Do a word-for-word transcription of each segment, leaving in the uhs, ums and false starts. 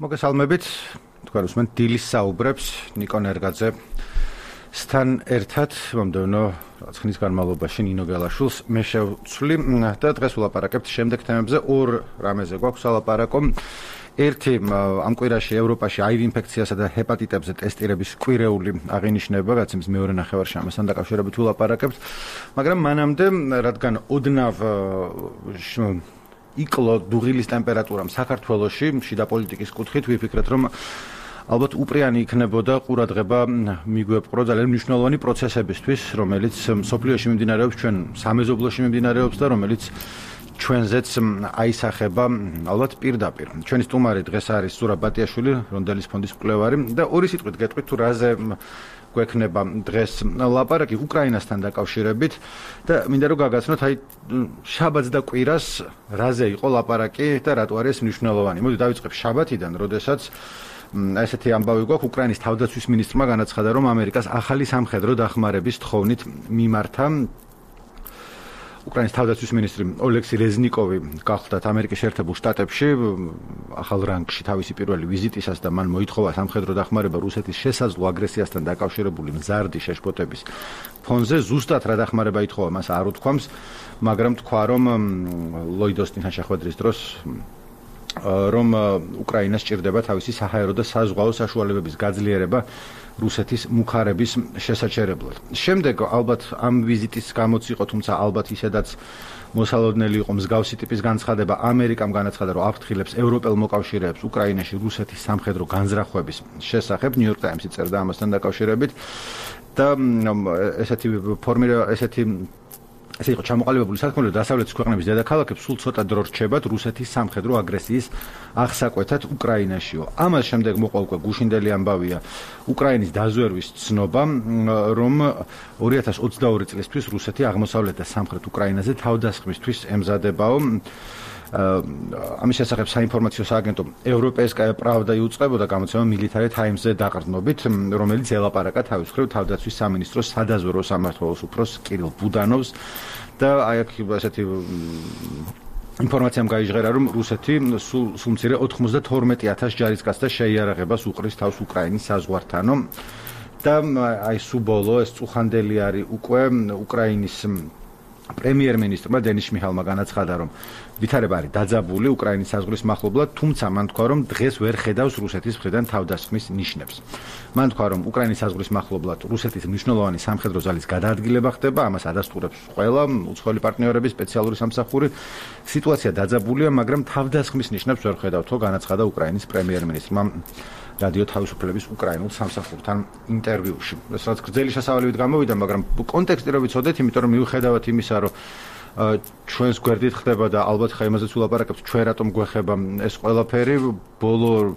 მოგესალმებით. თქვენ უსმენთ დილის საუბრებს ნიკო ნერგაძე სთან ერთად მომდევნო ხნის განმავლობაში ნინო გელაშვილს მე შევცვლი და დღეს ვლაპარაკებთ შემდეგ თემებზე. ორ რამეზე გვაქვს ალაპარაკო. ერთი ამ კვირაში ევროპაში აირი ინფექციასა და ჰეპატიტებზე ტესტირების კვირეული აღინიშნება, რაც იმის მეორე ნახევარში ამასთან დაკავშირებით ვლაპარაკებთ. მაგრამ მანამდე, რადგან ოდნავ იკლო დუღილის ტემპერატურამ საქართველოში შიდა პოლიტიკის კუთხით ვიფიქრეთ, რომ ალბათ უპრიანი იქნებოდა ყურადღება მიგვეპყრო ძალიან მნიშვნელოვანი პროცესებისთვის, რომელიც მსოფლიოში მიმდინარეობს, ჩვენ სამეზობლოში მიმდინარეობს და რომელიც ჩვენზეც აისახება ალბათ პირდაპირ. ჩვენი სტუმარი დღეს არის ზურაბ ბატიაშვილი, რონდელის ფონდის მკვლევარი და ორი სიტყვით გეტყვით თუ რაზე გვექნება დღეს ლაპარაკი უკრაინასთან დაკავშირებით და მინდა რომ გაგაცნოთ აი შაბათს და კვირას რაზე იყო ლაპარაკი და რატო არის მნიშვნელოვანი. მოდი დავიწყებ შაბათიდან, როდესაც ესეთი ამბავი გვაქვს, უკრაინის თავდაცვის მინისტრმა განაცხადა, რომ ამერიკას ახალი სამხედრო დახმარების თხოვნით მიმართა. უკრაინის თავდაცვის მინისტრი ოლექსი რეზნიკოვი გახლდათ ამერიკის შეერთებულ შტატებში ახალ რანგში თავისი პირველი ვიზიტისას და მან მოითხოვა სამხედრო დახმარება რუსეთის შესაძლო აგრესიასთან დაკავშირებული მზარდი შეშფოთების ფონზე. ზუსტად რა დახმარება ითხოვა, მას არ უთქვამს, მაგრამ თქვა, რომ ლოიდ ოსტინთან შეხვედრის დროს რომ უკრაინას სჭირდება თავისი საჰაერო და საზღვაო საშუალებების გაძლიერება რუსეთის მუხარების შესაჩერებლად. შემდეგ ალბათ ამ ვიზიტის გამოც იყო, თუმცა ალბათ ისედაც მოსალოდნელი იყო მსგავსი ტიპის განცხადება. ამერიკამ განაცხადა, რომ აფრთხილებს ევროპელ მოკავშირეებს უკრაინაში რუსეთის სამხედრო განზრახვების შესახებ. ნიუ-იორკ ტაიმსი წერდა ამასთან დაკავშირებით და ესეთი ფორმირება ესეთი ესე იყო ჩამოყალიბებული საქმე, რომ დასავლეთის ქვეყნების დედაქალაქებს სულ ცოტა დრო რჩებათ რუსეთის სამხედრო აგრესიის აღსაკვეთად უკრაინაშიო. ამას შემდეგ მოყვა უკვე გუშინდელი ამბავია უკრაინის დაზვერვის ცნობა, რომ ორი ათას ოცდაორი წლისთვის რუსეთი აღმოსავლეთ და სამხრეთ უკრაინაზე თავდასხმისთვის ემზადებაო. ამის შესახებ საინფორმაციო სააგენტო ევროპეისკაია პრავდა იუწყებოდა გამოცემა მილიტარი ტაიმსზე დაყრდნობით, რომელიც ელაპარაკა თავის მხრივ თავდაცვის სამინისტროს სადაზვერვო სამმართველოს უფროს კირილ ბუდანოვს და აი აქ ესეთი ინფორმაციამ გაიჟღერა, რომ რუსეთი სულ მცირე ოთხმოცდათორმეტი ათას ჯარისკაცთა შეიარაღებას უყრის თავს უკრაინის საზღვართანო და აი სულ ბოლო ეს წუხანდელი არის უკვე უკრაინის პრემიერ-მინისტრმა დენის შმიჰალმა განაცხადა, რომ ვითარება არის დაძაბული უკრაინის საზღვრის მახლობლად, თუმცა მან თქვა, რომ დღეს ვერ ხედავს რუსეთის მხრიდან თავდასხმის ნიშნებს. მან თქვა, რომ უკრაინის საზღვრის მახლობლად რუსეთის მნიშვნელოვანი სამხედრო ძალის გადაადგილება ხდება, ამას ადასტურებს ყველა უცხოელი პარტნიორების სპეციალური სამსახური. სიტუაცია დაძაბულია, მაგრამ თავდასხმის ნიშნებს ვერ ხედავთ, განაცხადა უკრაინის პრემიერ-მინისტრმა რადიო თავისუფლების უკრაინულ სამსახურთან ინტერვიუში. ეს რაც გრძელი შესავალებით გამოვიდა, მაგრამ კონტექსტი რო ვიცოდეთ, იმიტომ რომ მიუხედავად იმისა, რომ ჩვენს გვერდით ხდება და ალბათ ხა იმაზეც ვლაპარაკებთ, ჩვენ რატომ გვეხება ეს ყველაფერი, ბოლო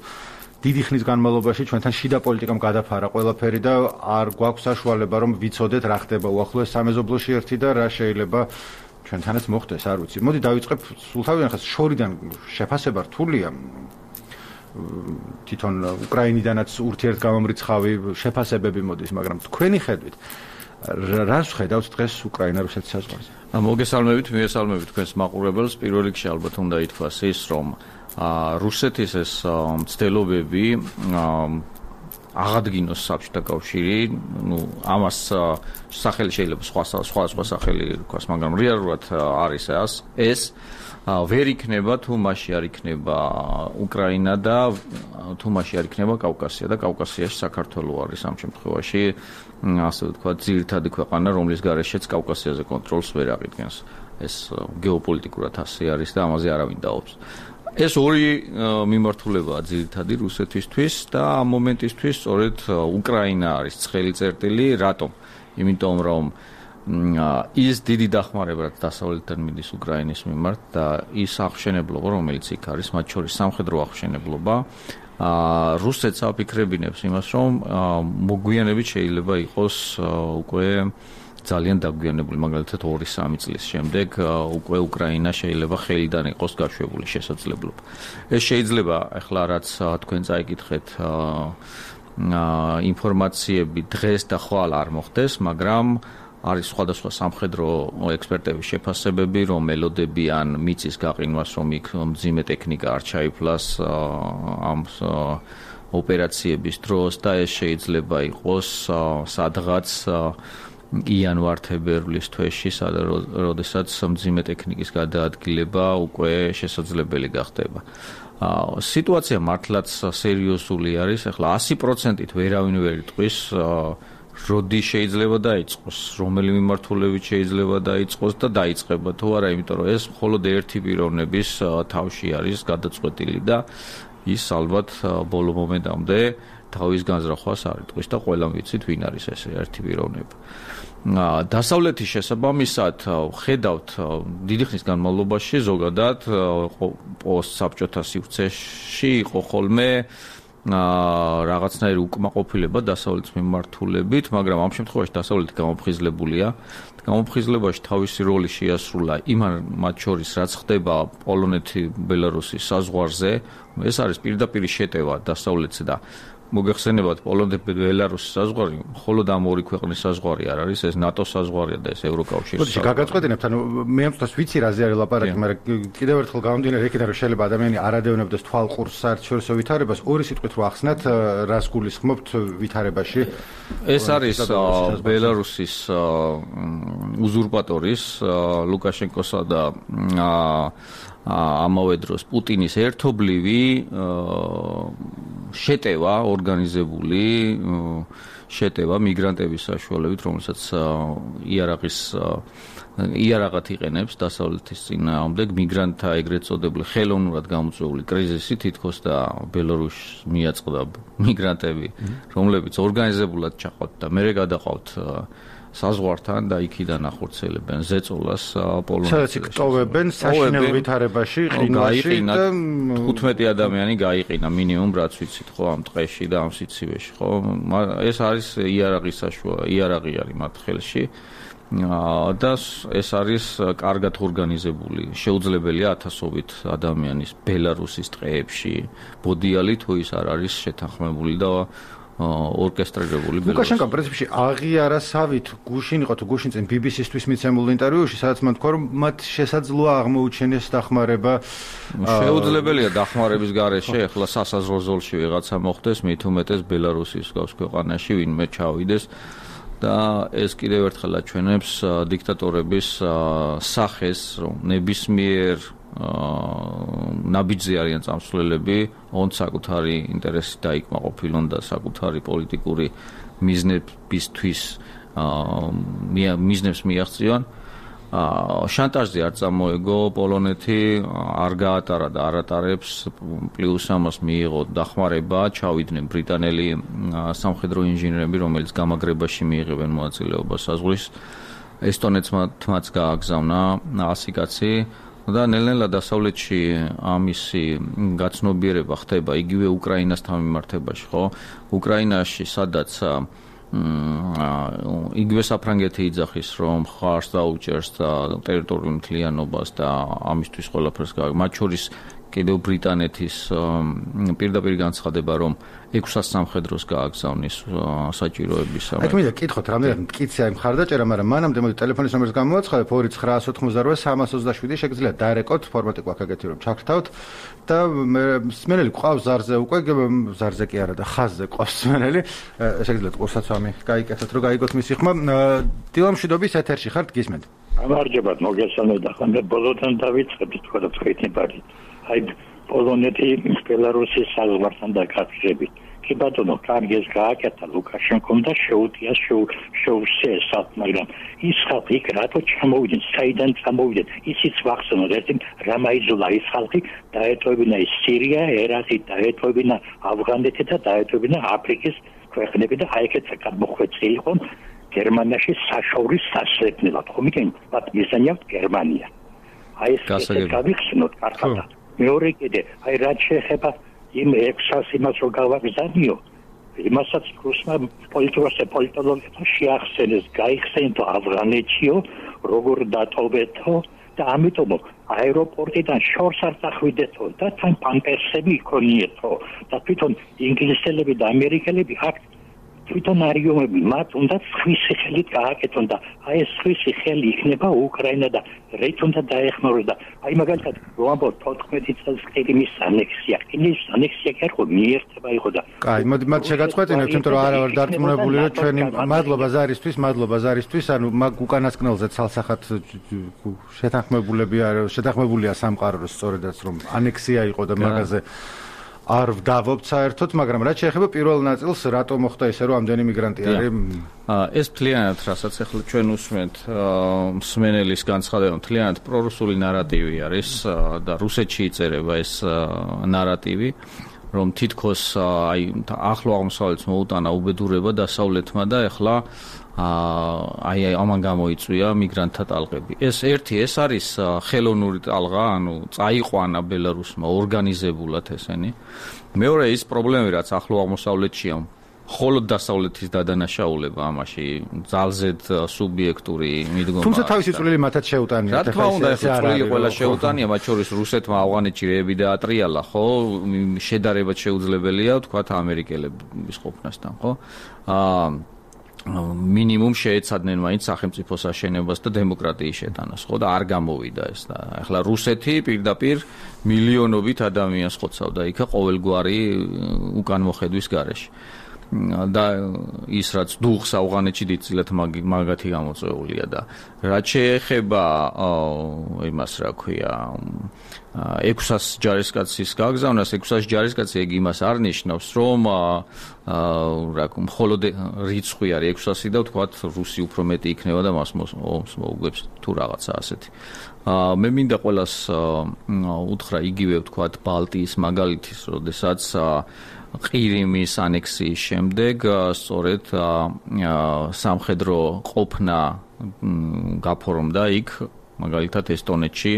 დიდი ხნის განმავლობაში ჩვენთან შიდა პოლიტიკამ გადაფარა ყველაფერი და არ გვაქვს საშუალება რომ ვიცოდეთ რა ხდება უახლოეს სამეზობლოში ერთი და რა შეიძლება ჩვენთანაც მოხდეს, არ ვიცი. მოდი დავიწყებ სულთავიდან ხას შორიდან შეფასება რთულია. თვითონ უკრაინიდანაც ურთიერთგამომრიცხავი შეფასებები მოდის, მაგრამ თქვენი ხედვით რას ხედავთ დღეს უკრაინა-რუსეთის საზღვარზე? მოგესალმებით, მიესალმებით თქვენს მაყურებელს. პირველ რიგში ალბათ უნდა ითქვას ის, რომ რუსეთის ეს მცდელობები აღადგინოს საბჭოთა კავშირი, ну, ამას სახელი შეიძლება სხვა სხვა სხვა სახელი რქოს, მაგრამ რეალურად არის ეს ვერ იქნება თუ მასში არ იქნება უკრაინა და თუ მასში არ იქნება კავკასია და კავკასიაში საქართველო არის ამ შემთხვევაში ასე ვთქვათ ძირითადი ქვეყანა, რომლის გარეშეც კავკასიაზე კონტროლს ვერ აღიდგენს. ეს გეოპოლიტიკურად ასე არის და ამაზე არავინ დაობს. ეს ორი მიმართულებაა ძირითადი რუსეთისთვის და ამ მომენტისთვის სწორედ უკრაინა არის ცხელი წერტილი. რატომ? იმიტომ რომ ის დიდი დახმარება რაც დასავლეთიდან მიდის უკრაინის მიმართ და ის აღშენებლობა, რომელიც იქ არის, მათ შორის სამხედრო აღშენებლობა, რუსეთს აფიქრებინებს იმას, რომ მოგვიანებით შეიძლება იყოს უკვე ძალიან დაგვიანებული, მაგალითად ორი სამი წლის შემდეგ უკვე უკრაინა შეიძლება ხელიდან იყოს გაშვებული შესაძლებლობა. ეს შეიძლება ახლა რაც თქვენ წაიკითხეთ ინფორმაციები დღეს და ხვალ არ მოხდეს, მაგრამ არის სხვადასხვა სამხედრო ექსპერტების შეფასებები, რომ ელოდებიან მიწის გაყინვას, რომ იქ მძიმე ტექნიკა არ ჩაიფლას ამ ოპერაციების დროს და ეს შეიძლება იყოს სადღაც იანვარ-თებერვლის თვეში, როდესაც მძიმე ტექნიკის გადაადგილება უკვე შესაძლებელი გახდება. სიტუაცია მართლაც სერიოზული არის. ახლა ასი პროცენტით ვერავინ ვერ იტყვის, როდი შეიძლება დაიწყოს, რომელი მიმართულებით შეიძლება დაიწყოს და დაიწყება თუ არა, იმიტომ რომ ეს მხოლოდ ერთი პიროვნების თავში არის გადაწყვეტილი და ის ალბათ ბოლო მომენტამდე თავის განზრახვას არ იტყვის და ყველამ ვიცით ვინ არის ეს ერთი პიროვნება. დასავლეთის შესაბამისად ხედავთ დიდი ხნის განმავლობაში ზოგადად პოსტსაბჭოთა სივრცეში იყო ხოლმე რაღაცნაირი უკმაყოფილება დასავლეთის მიმართულებით, მაგრამ ამ შემთხვევაში დასავლეთი გამოფხიზლებულია. გამოფხიზლებაში თავისი როლი შეასრულა იმან მათ შორის რაც ხდება პოლონეთი-ბელარუსის საზღვარზე. ეს არის პირდაპირი შეტევა დასავლეთს და მოგეხსენებათ პოლონეთ-ბელარუსის საზღვარი მხოლოდ ამ ორი ქვეყნის საზღვარი არ არის, ეს ნატოს საზღვარია და ეს ევროკავშირის საზღვარი. გაგაწყვეტინებთ, ანუ მე ამ წუთას ვიცი რაზე არის ლაპარაკი, მაგრამ კიდევ ერთხელ გამომდინარე იქიდან რომ შეიძლება ადამიანი არ ადევნებდეს თვალყურს საერთაშორისო ვითარებას, ორი სიტყვით რო ახსნათ, რას გულისხმობთ ვითარებაში? ეს არის ბელარუსის უზურპატორის ლუკაშენკოსა და ამავე დროს პუტინის ერთობლივი შეტევა, ორგანიზებული შეტევა მიგრანტების საშუალებით, რომელსაც იარაღის იარაღად იყენებს დასავლეთის წინააღმდეგ მიგრანტთა ეგრეთ წოდებული ხელოვნურად გამოწვეული კრიზისი თითქოს და ბელარუსს მიაწყდა მიგრანტები, რომლებიც ორგანიზებულად ჩაყავთ და მერე გადაყავთ საზღვართან და იქიდან ახორციელებენ ზეწოლას პოლონეთში. სადაც იკტოვებენ საშინელ ვითარებაში, ყინვაში და თხუთმეტი ადამიანი გაიყინა მინიმუმ რაც ვიცით ხო ამ ტყეში და ამ სიცივეში ხო. ეს არის იარაღის საშუალება, იარაღი არის მათ ხელში. და ეს არის კარგად ორგანიზებული. შეუძლებელია ათასობით ადამიანის ბელარუსის ტყეებში ბოდიალი თუ ის არ არის შეთანხმებული და ორკესტრირებული ბელარუსი. ლუკაშენკომ პრინციპში აღიარა სავით გუშინ იყო თუ გუშინ წინ ბი ბი სი-ისთვის მიცემულ ინტერვიუში, სადაც მან თქვა რომ მათ შესაძლოა აღმოუჩენეს დახმარება. შეუძლებელია დახმარების გარეშე ახლა სასაზღვრო ზოლში ვიღაცა მოხდეს, მით უმეტეს ბელარუსის გავს ქვეყანაში ვინმე ჩავიდეს და ეს კიდევ ერთხელ აჩვენებს დიქტატორების სახეს, რომ ნებისმიერ ნაბიჯზე არიან წამსვლელები, ონ საკუთარი ინტერესი დაიკმაყოფილონ და საკუთარი პოლიტიკური მიზნებისთვის მიზნებს მიაღწიონ. შანტაჟზე არ წამოეგო პოლონეთი, არ გაატარა და არ ატარებს, პლუს ამას მიიღო დახმარება, ჩავიდნენ ბრიტანელი სამხედრო ინჟინერები, რომელიც გამაგრებაში მიიღებენ მონაწილეობას საზღვრის. ესტონეთმაც გააგზავნა ასი კაცი. და ნელ-ნელა დასავლეთში ამისი გაცნობიერება ხდება იგივე უკრაინასთან მიმართებაში, ხო? უკრაინაში სადაც იგივე საფრანგეთი იძახის, რომ ხარს დაუჭერს და ტერიტორიულ მთლიანობას და ამისთვის ყველაფერს გააკეთებს. მათ შორის კიდევ ბრიტანეთის პირდაპირ განცხადება, რომ ექვსას სამხედროს გააგზავნის საჭიროების. აქ მინდა კითხოთ, რამდენად მტკიცე აი მხარდაჭერა, მაგრამ მანამდე მოდი ტელეფონის ნომერს გამოვაცხადებ ორი ცხრაას ოთხმოცდაოთხი სამას ოცდაშვიდი, შეგიძლიათ დაერეკოთ, ფორმატი გვაქვს ეგეთი რომ ჩაგრთავთ და მსმენელი გვყავს ზარზე უკვე, ზარზე კი არა და ხაზზე ყავს მსმენელი. შეგიძლიათ ყურსაცვამი გაიკეთოთ, რომ გაიგოთ მისი ხმა. დილამშვიდობის ეთერში ხართ, გისმენთ. გამარჯობათ, მოგესალმებით და ხანდ ბოლოდან დავიწყებთ თქვა და თქვენი ბარი. აი პოლონეთი ბელარუსის საზღვართან დაკავშირებით. კი ბატონო, კარგი ეს გააკეთა ლუკაშენკომ და შეუტია შეუსწეს, მაგრამ ის ხალხი იქ რატო ჩამოვიდნენ, საიდან ჩამოვიდნენ? ისიც ვახსენოთ, ერთი რამაიძულა ის ხალხი დაეტოვებინა ის სირია, ერაყი, დაეტოვებინა ავღანეთი და დაეტოვებინა აფრიკის ქვეყნები და აი ეგეც გამოხვეწილი იყო გერმანიაში საშურის სასწრაფოდ. ხომ იგენ, მათ მიზანია გერმანია. აი ეს გავიხსენოთ კარგად. მეორე კიდე, აი რაც შეეხება იმ ექვსას იმას რო გავაგზავნიო, იმასაც რუსმა პოლიტიკოსებმა პოლიტოლოგებმა შეახსენეს, გაიხსენეთო ავღანეთიო, როგორ დატოვეთო და ამიტომ აეროპორტიდან შორს არ წახვიდეთო და თან პამპერსები იქონიეთო და თვითონ ინგლისელები და ამერიკელები აქ თვითონ არიომები მათ უნდა სხვისი ხელით გააკეთონ და აი ეს სხვისი ხელი იქნება უკრაინა და რით უნდა დაეხმაროს და აი მაგალითად ვამბობ თოთხმეტი წელს ყირიმის ანექსია ყირიმის ანექსია კი არ იყო მიერთება იყო და კაი მოდი მათ შეგაწყვეტინებთ იმიტომ რომ არა ვარ დარწმუნებული რომ ჩვენი მადლობა ზარისთვის მადლობა ზარისთვის ანუ მაგ უკანასკნელზე ცალსახად შეთანხმებულები არა შეთანხმებულია სამყაროს სწორედაც რომ ანექსია იყო და მაგაზე არ ვდავობთ საერთოდ, მაგრამ რაც შეეხება პირველ ნაწილს, რატო მოხდა ისე, რომ ამდენი მიგრანტი არის? ეს მთლიანად, რასაც ახლა ჩვენ usmენთ, მსმენელის განცხადება, მთლიანად პრორუსული ნარატივი არის და რუსეთში იწერება ეს ნარატივი, რომ თითქოს აი ახლო აღმოსავლეთს მოუტანა უბედურება დასავლეთმა და ახლა აი ამან გამოიწვია მიგრანტთა ტალღები. ეს ერთი ეს არის ხელოვნური ტალღა, ანუ წაიყვანა ბელარუსმა ორგანიზებულად ესენი. მეორე ის პრობლემები, რაც ახლო აღმოსავლეთშია, მხოლოდ დასავლეთის დადანაშაულება ამაში ძალზედ სუბიექტური მიდგომა. თუმცა თავისი წვლილი მათაც შეუტანია. რა თქმა უნდა, ეს წვლილი ყველა შეუტანია, მათ შორის რუსეთმა ავღანეთში რეები დაატრიალა, ხო? შედარებად შეუძლებელია, თქვათ, ამერიკელების ყოფნასთან, ხო? აა მინიმუმ შეეცადნენ მაინც სახელმწიფოს აშენებას და დემოკრატიის შეტანას, ხო და არ გამოვიდა ეს და ახლა რუსეთი პირდაპირ მილიონობით ადამიანს ხოცავდა იქა ყოველგვარი უკანმოხედვის გარეშე. და ის რაც დუხს ავღანეთში დიდწილად მაგათი გამოწვეულია და რაც შეეხება იმას რა ქვია ექვსას ჯარისკაცის გაგზავნას ექვსას ჯარისკაცი ეგ იმას არ ნიშნავს რომ რა ქვია მხოლოდ რიცხვი არის ექვსასი და ვთქვათ რუსი უფრო მეტი იქნება და მას მოუგებს თუ რაღაცა ასეთი მე მინდა ყველას უთხრა იგივე ვთქვათ ბალტიის მაგალითის როდესაც ყირიმის ანექსიის შემდეგ სწორედ სამხედრო ყოფნა გაფორმდა იქ მაგალითად ესტონეთში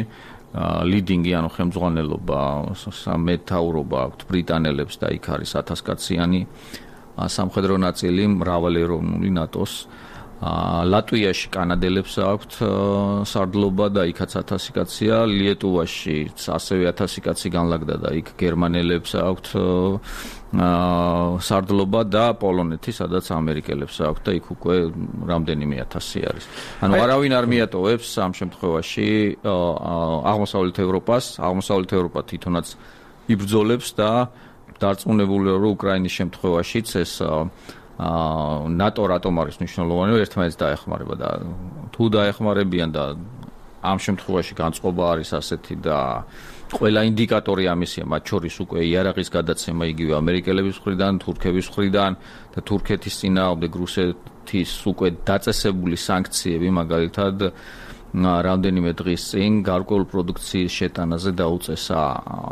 ლიდინგი ანუ ხელმძღვანელობა სამეთაურობა აქვთ ბრიტანელებს და იქ არის ათასკაციანი სამხედრო ნაწილი მრავალეროვნული ნატოს ლატვიაში კანადელებს აქვთ სარდლობა და იქაც ათასი კაცია ლიეტუვაში ასევე ათასი კაცი განლაგდა და იქ გერმანელებს აქვთ სარდლობა და პოლონეთი სადაც ამერიკელებს აქვთ და იქ უკვე რამდენიმე ათასი არის ანუ არავინ არ მიატოვებს ამ შემთხვევაში აღმოსავლეთ ევროპას აღმოსავლეთ ევროპა თვითონაც იბრძოლებს და დარწმუნებულია რომ უკრაინის შემთხვევაშიც ეს ნატო რატომ არის მნიშვნელოვანი, ერთმანეთს დაეხმარება და თუ დაეხმარებიან და ამ შემთხვევაში განწყობა არის ასეთი და ყველა ინდიკატორი ამისია, მათ შორის უკვე იარაღის გადაცემა იგივე ამერიკელების მხრიდან, თურქების მხრიდან და თურქეთის წინააღმდეგ რუსეთის უკვე დაწესებული სანქციები მაგალითად რამდენიმე დღის წინ გარკვეულ პროდუქციის შეტანაზე დაუწესა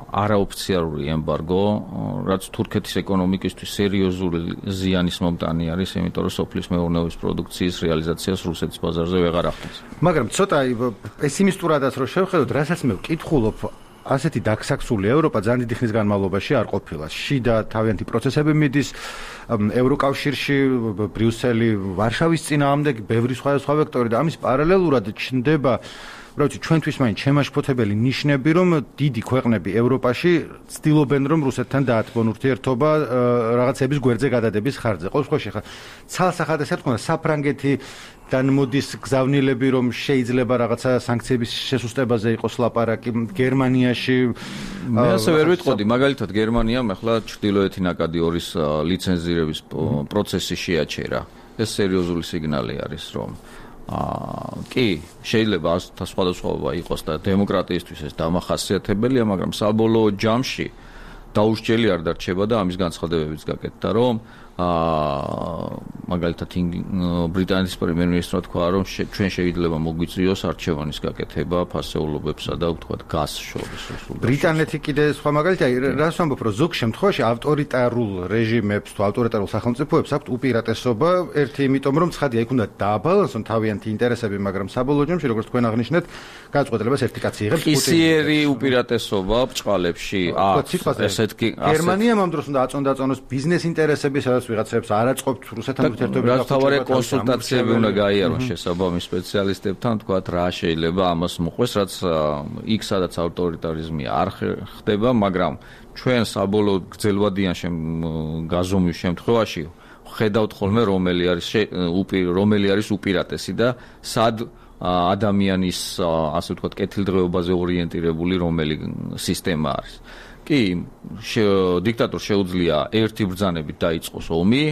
არაოფიციალური ემბარგო, რაც თურქეთის ეკონომიკისთვის სერიოზული ზიანის მომტანი არის, იმიტომ რომ სოფლის მეურნეობის პროდუქციის რეალიზაციას რუსეთის ბაზარზე ვეღარ ახდენს. მაგრამ ცოტა პესიმისტურადაც რო შევხედოთ, რასაც მე ვკითხულობ, ასეთი დაქსაქსული ევროპა ძალიან დიდი ხნის განმავლობაში არ ყოფილა. შიდა თავიანთი პროცესები მიდის ევროკავშირში, ბრიუსელი, ვარშავის წინააღმდეგ, ბევრი სხვადასხვა ვექტორი და ამის პარალელურად ჩნდება რა ვიცი, ჩვენთვის მაინც შემაშფოთებელი ნიშნები, რომ დიდი ქვეყნები ევროპაში ცდილობენ, რომ რუსეთთან დაათბონ ურთიერთობა რაღაცების გვერდზე გადადების ხარჯზე. ყოველ შემთხვევაში ხა ცალსახად ესე თქვა, საფრანგეთი თან მოდის გზავნილები, რომ შეიძლება რაღაცა სანქციების შესუსტებაზე იყოს ლაპარაკი გერმანიაში. მე ასე ვერ ვიტყოდი, მაგალითად გერმანიამ ახლა ჩრდილოეთი ნაკადი ორის ლიცენზირების პროცესი შეაჩერა. ეს სერიოზული სიგნალი არის, რომ აა კი, შეიძლება სხვადასხვაობა იყოს და დემოკრატიისთვის ეს დამახასიათებელია, მაგრამ საბოლოო ჯამში დაუსჯელი არ დარჩება და ამის განცხადებებიც გაკეთდა, რომ აა მაგალითად ბრიტანეთის პრემიერ-მინისტრმა თქვა, რომ ჩვენ შეიძლება მოგვიწვიოს არჩევანის გაკეთება ფასეულობებსა და ვთქვათ გაზს შორის. ბრიტანეთი კიდე სხვა მაგალითია, რას ვამბობ, რომ ზოგ შემთხვევაში ავტორიტარულ რეჟიმებს თუ ავტორიტარულ სახელმწიფოებს აქვთ უპირატესობა, ერთი იმიტომ, რომ ცხადია, იქ უნდა დააბალანსონ თავიანთი ინტერესები, მაგრამ საბოლოო ჯამში, როგორც თქვენ აღნიშნეთ, გადაწყვეტილებას ერთი კაცი იღებს. ისიერი უპირატესობა ბჭყალებში აქვს. ესეთ კი გერმანიამ ამ დროს უნდა აწონდაწონოს ბიზნეს ინტერესები, სადაც ვიღაცებს არ აწყობთ რუსეთთან ურთიერთობები. რაც თავარი კონსულტაციები უნდა გაიარონ შესაბამის სპეციალისტებთან, თქვათ რა შეიძლება ამას მოყვეს, რაც იქ სადაც ავტორიტარიზმი არ ხდება, მაგრამ ჩვენ საბოლოოდ გრძელვადიან გაზომვის შემთხვევაში ხედავთ ხოლმე რომელი არის რომელი არის უპირატესი და სად ადამიანის ასე ვთქვათ კეთილდღეობაზე ორიენტირებული რომელი სისტემა არის. კი, დიქტატორს შეუძლია ერთი ბრძანებით დაიწყოს ომი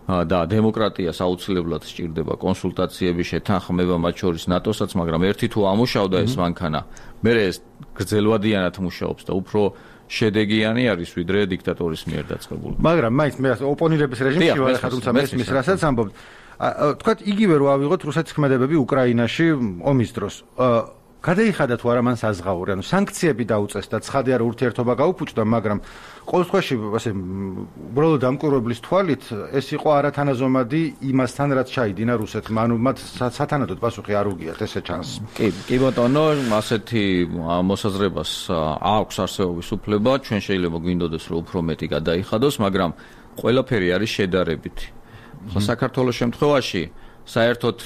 და დემოკრატიას აუცილებლად სჭირდება კონსულტაციები, შეთანხმება მათ შორის ნატოსაც, მაგრამ ერთი თუ ამუშავდა ეს მანქანა, მერე ეს გრძელვადიანად მუშაობს და უფრო შედეგიანი არის ვიდრე დიქტატორის მიერ დაწყებული. მაგრამ მაინც მე ოპონირების რეჟიმში ვარ, თუმცა მესმის რასაც ამბობთ. თქვათ იგივე რო ავიღოთ რუსეთის ქმედებები უკრაინაში ომის დროს. გადაიხადა თუ არა მან საზღაური, ანუ სანქციები დაუწეს და ცხადია რომ ურთიერთობა გაუფუჭდა, მაგრამ ყოველ შემთხვევაში ასე უბრალოდ დამკვირვებლის თვალით ეს იყო არათანაზომადი იმასთან რაც ჩაიდინა რუსეთმა, ანუ მათ სათანადოდ პასუხი არ უგიათ, ესე ჩანს. კი, კი ბატონო, ასეთი მოსაზრებას აქვს არსებობის უფლება, ჩვენ შეიძლება გვინდოდეს რომ უფრო მეტი გადაიხადოს, მაგრამ ყველაფერი არის შედარებითი. ხო, საქართველოს შემთხვევაში საერთოდ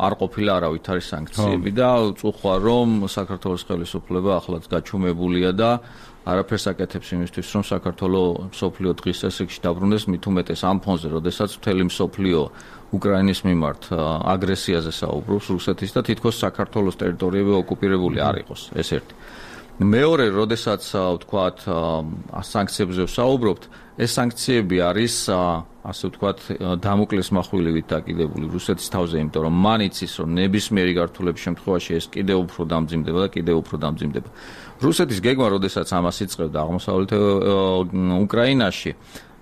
არ ყოფილა არავითარი სანქციები და უწუხვა რომ საქართველოს ხელისუფლება ახლაც გაჩუმებულია და არაფერს აკეთებს იმისთვის რომ საქართველოს მსოფლიო დღის წესრიგში დაბრუნდეს, მით უმეტეს ამ ფონზე, როდესაც მთელი მსოფლიო უკრაინის მიმართ აგრესიაზე საუბრობს რუსეთის და თითქოს საქართველოს ტერიტორიები ოკუპირებული არ იყოს, ეს ერთი. მეორე, როდესაც ვთქვათ სანქციებზე ვსაუბრობთ, ეს სანქციები არის ასე ვთქვათ დამოკლეს מחვილივით დაკიდებული რუსეთის თავზე, იმიტომ რომ მან იცის რომ ნებისმიერი გართულების შემთხვევაში ეს კიდევ უფრო დამძიმდება და კიდევ უფრო დამძიმდება. რუსეთის გეგმა, როდესაც ამას იწყებდა აღმოსავლეთ უკრაინაში,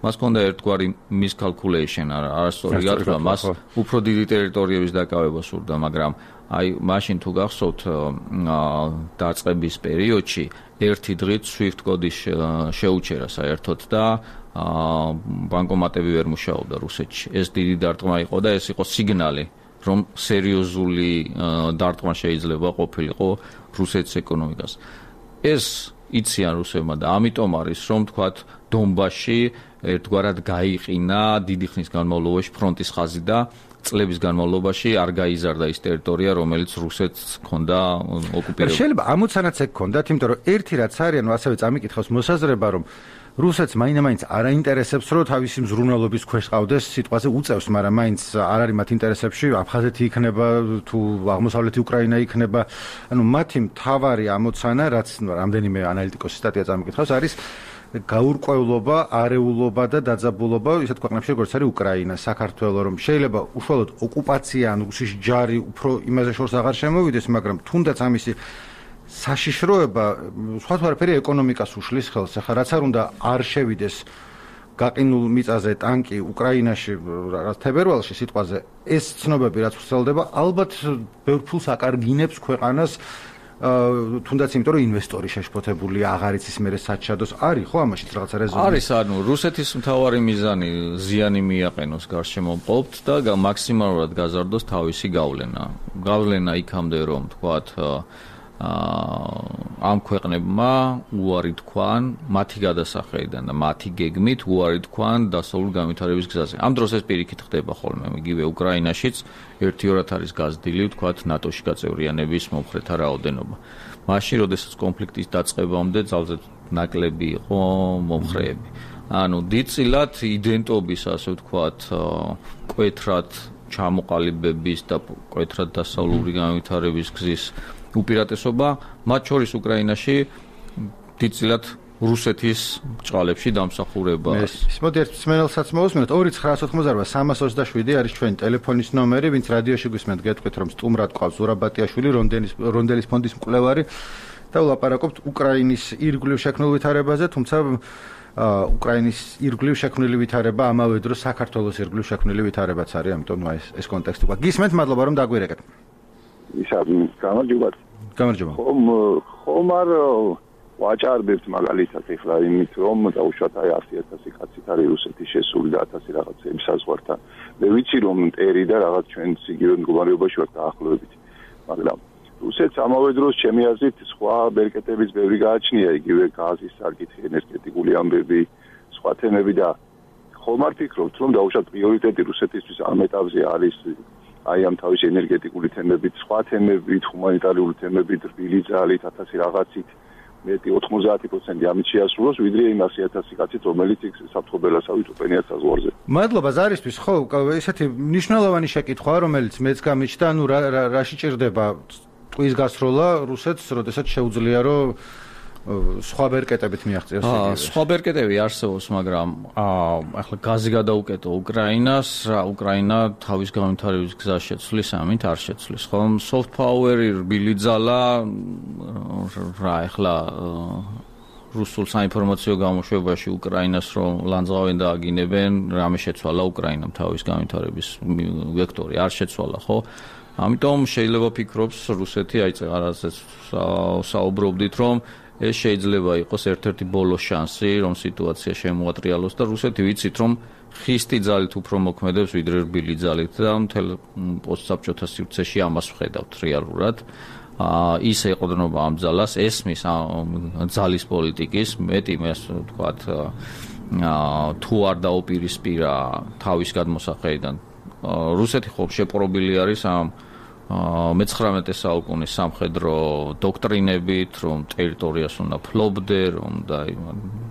მას ჰქონდა ერთგვარი miscalculation, არასწორი გათვლა, მას უფრო დიდი ტერიტორიების დაკავება სურდა, მაგრამ აი მაშინ თუ გახსოვთ დაწყების პერიოდში ერთი დღით SWIFT კოდის შეუჩერა საერთოდ და ბანკომატები ვერ მუშაობდა რუსეთში. ეს დიდი დარტყმა იყო და ეს იყო სიგნალი, რომ სერიოზული დარტყმა შეიძლება ყოფილიყო რუსეთის ეკონომიკას. ეს იციან რუსებმა და ამიტომ არის რომ თქვათ დონბასში ერთგვარად გაიყინა დიდი ხნის განმავლობაში ფრონტის ხაზი და წლების განმავლობაში არ გაიზარდა ის ტერიტორია, რომელიც რუსეთს ჰქონდა ოკუპირებული. შეიძლება ამოცანაც ეგ ჰქონდათ, იმიტომ რომ ერთი რაც არის, ანუ ასევე წამიკითხავს მოსაზრება, რომ რუსეთს მაინც არ აინტერესებს, რომ თავისი მზრუნველობის ქვეშ ყავდეს, სიტყვაზე უწევს, მაგრამ მაინც არ არის მათ ინტერესებში, აფხაზეთი იქნება თუ აღმოსავლეთი უკრაინა იქნება. ანუ მათი მთავარი ამოცანა, რაც რამდენიმე ანალიტიკოსის სტატია წამიკითხავს, არის გაურკვევლობა, არეულობა და დაძაბულობა ისეთ ქვეყნებში, როგორც არის უკრაინა, საქართველო, რომ შეიძლება უშუალოდ ოკუპაცია ან რუსის ჯარი უფრო იმაზე შორს აღარ შემოვიდეს, მაგრამ თუნდაც ამისი საშიშროება სხვა თუ არაფერი ეკონომიკას უშლის ხელს. ახლა რაც არ უნდა არ შევიდეს გაყინულ მიწაზე ტანკი უკრაინაში, რაც თებერვალში სიტყვაზე, ეს ცნობები რაც ვრცელდება, ალბათ ბევრ ფულს აკარგინებს ქვეყანას, თუნდაც იმიტომ რომ ინვესტორი შეშფოთებული აღარ იცის მერე საჩადოს. არის ხო ამაშიც რაღაცა რეზონანსი? არის, ანუ რუსეთის მთავარი მიზანი ზიანი მიაყენოს გარშემო მყოფთ და მაქსიმალურად გაზარდოს თავისი გავლენა. გავლენა იქამდე რომ თქვათ ამ ქვეყნებმა უარი თქვან მათი გადასახედიდან და მათი გეგმით უარი თქვან დასავლურ განვითარების გზაზე. ამ დროს ეს პირიქით ხდება ხოლმე, იგივე უკრაინაშიც ერთი-ორად არის გაზრდილი თქვათ ნატოში გაწევრიანების მომხრეთა რაოდენობა. მაშინ, როდესაც კონფლიქტის დაწყებამდე ძალზედ ნაკლები იყო მომხრეები. ანუ დიდწილად იდენტობის, ასე ვთქვათ, კვეთრად ჩამოყალიბების და კვეთრად დასავლური განვითარების გზის უპირატესობა, მათ შორის უკრაინაში დიდწილად რუსეთის ჭყალებში დამსახურებაა. ეს მოდი ერთ მსმენელსაც მოვუსმინოთ. ორი ცხრაას ოთხმოცდაარბა სამას ოცდაშვიდი არის ჩვენი ტელეფონის ნომერი, ვინც რადიოში გვისმენთ, გეტყვით რომ სტუმრად ყავს ზურაბატიაშვილი, რონდელის ფონდის მკვლევარი და ვლაპარაკობთ უკრაინის ირგვლივ შექმნილ ვითარებაზე, თუმცა უკრაინის ირგვლივ შექმნილი ვითარება ამავე დროს საქართველოს ირგვლივ შექმნილი ვითარებაც არის, ამიტომ ეს ეს კონტექსტი გვაქვს. გისმენთ, მადლობა რომ დაგვირეკეთ. ისა გამარჯობა. გამარჯობა. ხომ ხომ არ ვაჭარბებთ მაგალითად ეხლა იმით რომ დაუშვათ აი ასი ათასი კაცით არის რუსეთის შესული და ათასი რაღაცები საზღვართან. მე ვიცი რომ ტერი და რაღაც ჩვენც იგივე მდგომარეობაში ვართ დაახლოებით. მაგრამ რუსეთს ამავე დროს ჩემი აზრით სხვა ბერკეტების ბევრი გააჩნია, იგივე გაზის საკითხი, ენერგეტიკული ამბები, სხვა თემები და ხომ არ ფიქრობთ რომ დაუშვათ პრიორიტეტი რუსეთისთვის ამ ეტაპზე არის აი ამ თავის ენერგეტიკული თემებით, სხვა თემებით, ჰუმანიტარული თემებით, რბილი ძალით, ათასი რაღაცით მეტი ოთხმოცდაათი პროცენტი ამით შეასრულოს, ვიდრე იმ ასი ათასი კაცით, რომელიც იქ საფრთხობელასავით უყენია საზღვარზე. მადლობა ზარისთვის, ხო, ესეთი მნიშვნელოვანი შეკითხვაა, რომელიც მეც გამიჩნდა, ანუ რაში ჭირდება ტყვის გასროლა რუსეთს, როდესაც შეუძლია რომ სხვა ბერკეტებით მიაღწიოს ეგრევე. სხვა ბერკეტები არსებობს, მაგრამ ახლა გაზი გადაუკეტო უკრაინას, რა უკრაინა თავის განვითარების გზას შეცვლის, ამით არ შეცვლის. ხომ soft power-ი რბილი ძალა რა ახლა რუსულ საინფორმაციო გამოშვებაში უკრაინას რომ ლანძღავენ და აგინებენ, რამე შეცვალა უკრაინამ თავის განვითარების ვექტორი არ შეცვალა, ხო? ამიტომ შეიძლება ფიქრობს რუსეთი აი წეგარაზეც საუბრობდით რომ ეს შეიძლება იყოს ერთ-ერთი ბოლო შანსი რომ სიტუაცია შემოატრიალოს და რუსეთი ვიცით რომ ხისტი ძალით უფრო მოქმედებს ვიდრე რბილი ძალით და მთელ პოსტსაბჭოთა სივრცეში ამას ვხედავთ რეალურად ის ეყრდნობა ამ ძალას ესმის ძალის პოლიტიკის მეტი მე ვთქვათ თუ არ დაუპირისპირა თავის გადმოსახედიდან რუსეთი ხო შეპყრობილი არის ამ მეცხრამეტე საუკუნის სამხედრო დოქტრინებით, რომ ტერიტორიას უნდა ფლობდე, რომ და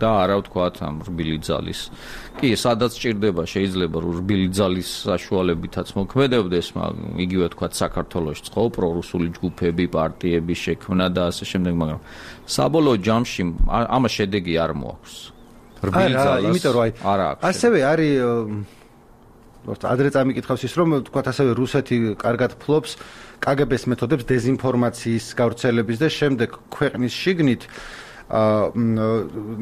და არა ვთქვათ ამ რბილი ძალის. კი, სადაც ჭირდება შეიძლება რომ რბილი ძალის საშუალებითაც მოქმედებდეს, მაგრამ იგივე ვთქვათ საქართველოში ხო პრორუსული ჯგუფები, პარტიები შექმნა და ასე შემდეგ, მაგრამ საბოლოო ჯამში ამას შედეგი არ მოაქვს. რბილი ძალას იმიტომ რომ აი ასევე არის ადრე წამიკითხავს ის რომ თქვათ ასევე რუსეთი კარგად ფლობს კგბ-ს მეთოდებს დეზინფორმაციის გავრცელების და შემდეგ ქვეყნის შიგნით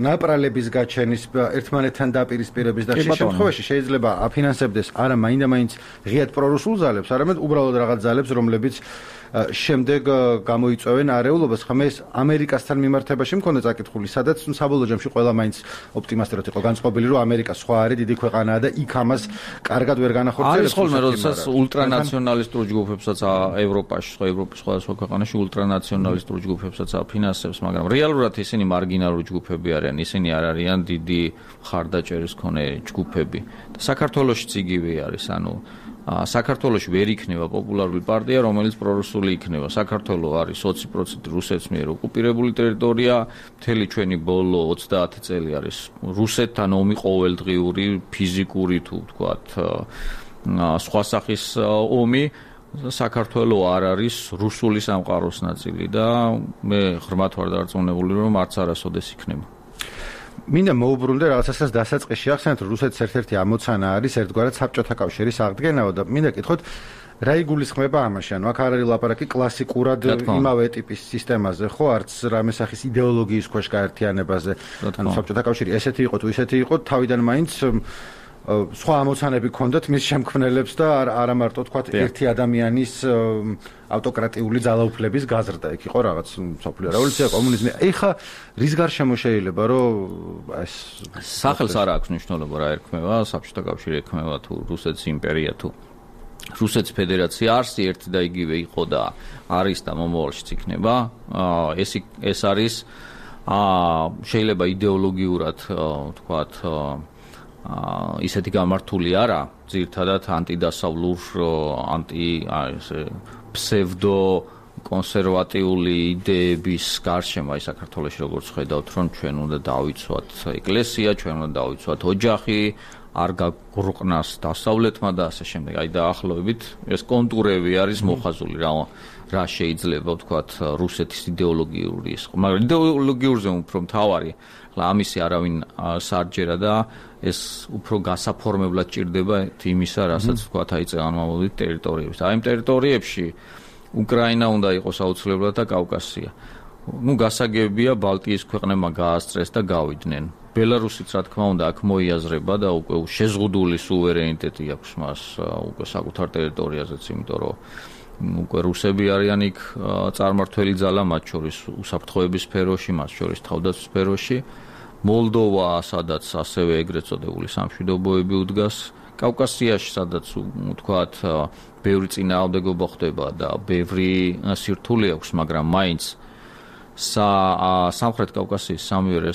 ნაპრალების გაჩენის ერთმანეთთან დაპირისპირების და შე შემთხვევაში შეიძლება აფინანსებდეს არა მაინდა-მაინც ღიად პრორუსულ ძალებს, არამედ უბრალოდ რაღაც ძალებს, რომლებიც შემდეგ გამოიწვევენ არეულობას. ხომ ეს ამერიკასთან მიმართებაში მქონდა წაკითხული, სადაც საბოლოო ჯამში ყველა მაინც ოპტიმისტად იყო განწყობილი, რომ ამერიკა სხვა არის, დიდი ქვეყანაა და იქ ამას კარგად ვერ განახორციელებს. არის ხოლმე, როდესაც ულტრანაციონალისტურ ჯგუფებსაც ევროპაში, სხვა ევროპის სხვადასხვა ქვეყანაში ულტრანაციონალისტურ ჯგუფებსაც აფინანსებს, მაგრამ რეალურად ისინი მარგინალური ჯგუფები არიან, ისინი არ არიან დიდი ხარდაჭერის მქონე ჯგუფები. და საქართველოშიც იგივე არის, ანუ საქართველოში ვერ იქნება პოპულარული პარტია, რომელიც პრორუსული იქნება. საქართველო არის ოცი პროცენტი რუსეთს მიერ ოკუპირებული ტერიტორია, მთელი ჩვენი ბოლო ოცდაათი წელი არის რუსეთთან ომი ყოველდღიური, ფიზიკური თუ ვთქვათ, სხვა სახის ომი. საქართველო არ არის რუსული სამყაროს ნაწილი და მე ღრმად ვარ დარწმუნებული, რომ არც არასოდეს იქნება. მინდა მოუბრუნდე რაღაცასაც დასაწყისში ახსენეთ, რომ რუსეთის ერთ-ერთი ამოცანა არის ერთგვარად საბჭოთა კავშირის აღდგენაო და მინდა კითხოთ, რა იგულისხმება ამაში? ანუ აქ არ არის ლაპარაკი კლასიკურად იმავე ტიპის სისტემაზე, ხო, არც რამე სახის იდეოლოგიის ქვეშ გაერთიანებაზე. ანუ საბჭოთა კავშირი ესეთი იყო თუ ისეთი იყო, თავიდან მაინც სხვა ამოცანები ჰქონდათ მის შემქმნელებს და არა მარტო თქვათ ერთი ადამიანის ავტოკრატიული ძალაუფლების გაზრდა. იქ იყო რაღაც მსოფლიო რევოლუცია, კომუნიზმი. ეხა რის გარშემო შეიძლება რომ ეს სახელს არ აქვს მნიშვნელობა რა ერქმევა, საბჭოთა კავშირი ერქმევა თუ რუსეთის იმპერია თუ რუსეთის ფედერაცია არსი ერთი და იგივე იყო და არის და მომავალშიც იქნება. ეს ეს არის შეიძლება იდეოლოგიურად თქვათ ისეთი გამართული არა, ძირთადად ანტიდასავლურ, ანტი ესე ფსევდო კონსერვატიული იდეების გარშემო აი საქართველოში როგორც ხედავთ, რომ ჩვენ უნდა დავიცვათ ეკლესია, ჩვენ უნდა დავიცვათ ოჯახი, არ გაგრყნას დასავლეთმა და ასე შემდეგ. აი დაახლოებით ეს კონტურები არის მოხაზული რა რა შეიძლება ვთქვათ რუსეთის იდეოლოგიური ის. მაგრამ იდეოლოგიურზე უფრო მთავარი ხლა ამისი არავინ სარჯერა და ეს უფრო გასაფორმებლად ჭირდება იმისა, რასაც ვთქვათ აი წეგანმავლობით ტერიტორიებში. აი იმ ტერიტორიებში უკრაინა უნდა იყოს აუცილებლად და კავკასია. ნუ გასაგებია ბალტიის ქვეყნებმა გაასწრეს და გავიდნენ. ბელარუსიც რა თქმა უნდა აქ მოიაზრება და უკვე შეზღუდული სუვერენიტეტი აქვს მას უკვე საკუთარ ტერიტორიაზეც, იმიტომ რომ უკვე რუსები არიან იქ წარმართველი ძალა, მათ შორის უსაფრთხოების სფეროში, მათ შორის თავდაცვის სფეროში. მოლდოვა, სადაც ასევე ეგრეთ წოდებული სამშვიდობოები უდგას, კავკასიაში, სადაც ვთქვათ, ბევრი წინააღმდეგობა ხდება და ბევრი სირთულე აქვს, მაგრამ მაინც სამხრეთ კავკასიის სამივე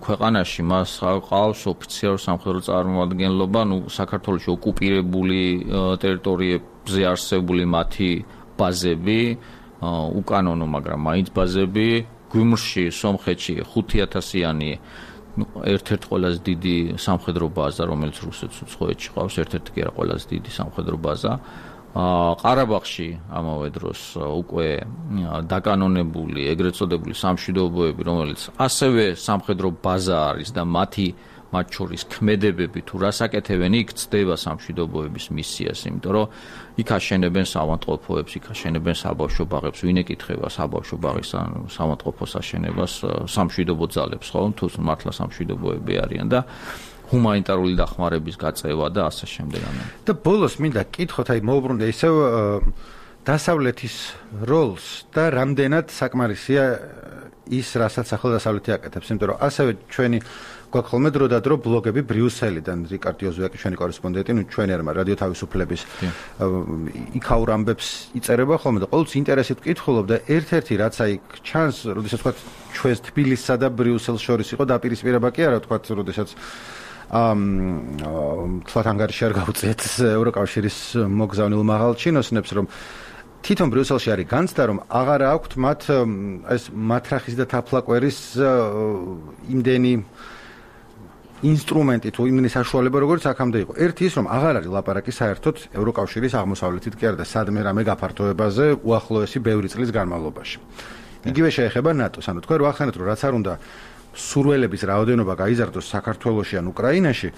ქვეყანაში მას ყავს ოფიციალური სამხედრო წარმომადგენლობა, ნუ საქართველოში ოკუპირებული ტერიტორიებზე არსებული მათი ბაზები, უკანონო, მაგრამ მაინც ბაზები გვიმრში, სომხეთში ხუთი ათასიანი ერთ-ერთი ყველაზე დიდი სამხედრო ბაზა, რომელიც რუსეთს უცხოეთში ყავს, ერთ-ერთი კი არა ყველაზე დიდი სამხედრო ბაზა. ყარაბაღში ამავე დროს უკვე დაკანონებული, ეგრეთ წოდებული სამშვიდობოები, რომელიც ასევე სამხედრო ბაზა არის და მათი მათ შორის ქმედებები თუ რას აკეთებენ, იქ ცდება სამშვიდობოების მისიას, იმიტომ რომ იქ აშენებენ საავადმყოფოებს, იქ აშენებენ საბავშვო ბაღებს, ვინ ეკითხება საბავშვო ბაღის ან საავადმყოფოს აშენებას სამშვიდობო ძალებს, ხო? თუ მართლა სამშვიდობოები არიან და ჰუმანიტარული დახმარების გაწევა და ასე შემდეგ. და ბოლოს მინდა კითხოთ, აი მოუბრუნდე ისევ დასავლეთის როლს და რამდენად საკმარისია ის, რასაც ახალდასავლეთი აკეთებს, იმიტომ რომ ასევე ჩვენი გვაქვს ხოლმე დრო და დრო ბლოგები ბრიუსელიდან, რიკარდ იოზვიაკი ჩვენი კორესპონდენტი, ნუ ჩვენი არმა რადიო თავისუფლების იქაურ ამბებს იწერება ხოლმე და ყოველთვის ინტერესით ვკითხულობ და ერთ-ერთი რაც აი ჩანს, როდესაც თქვა ჩვენს თბილისსა და ბრიუსელს შორის იყო დაპირისპირება კი არა, თქვა როდესაც ამ თქვათ ანგარიში არ გავუწიეთ ევროკავშირის მოგზავნილ მაღალჩინოსნებს, რომ თვითონ ბრიუსელში არის განცდა, რომ აღარ აქვთ მათ ეს მათრახის და თაფლაკვერის იმდენი ინსტრუმენტი თუ იმდენი საშუალება, როგორც აქამდე იყო. ერთი ის, რომ აღარ არის ლაპარაკი საერთოდ ევროკავშირის აღმოსავლეთით კი არა და სადმე რამე გაფართოებაზე უახლოესი ბევრი წლის განმავლობაში. იგივე შეეხება ნატოს. ანუ თქვენ რო ახსენეთ, რომ რაც არ უნდა სურველების რაოდენობა გაიზარდოს საქართველოში ან უკრაინაში,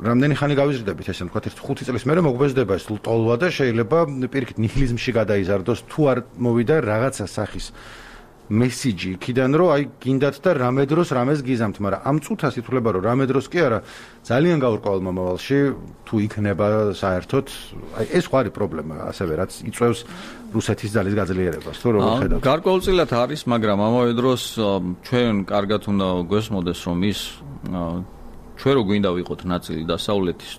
რამდენი ხანი გავიზრდებით, ესე ვთქვათ, ერთ ხუთი წლის მერე მოგვეზდება ეს ტოლვა და შეიძლება პირიქით ნიჰილიზმში გადაიზარდოს, თუ არ მოვიდა რაღაცა სახის მესიჯი იქიდან, რომ აი გინდათ და რამე დროს რამეს გიზამთ, მაგრამ ამ წუთას ითვლება, რომ რამე დროს კი არა, ძალიან გაურკვეველ მომავალში თუ იქნება საერთოდ, აი ეს ხო არის პრობლემა, ასევე რაც იწვევს რუსეთის ძალის გაძლიერებას, თუ როგორ ხედავთ? გარკვეულწილად არის, მაგრამ ამავე დროს ჩვენ კარგად უნდა გვესმოდეს, რომ ის ჩვენ რო გვინდა ვიყოთ ნაწილი დასავლეთის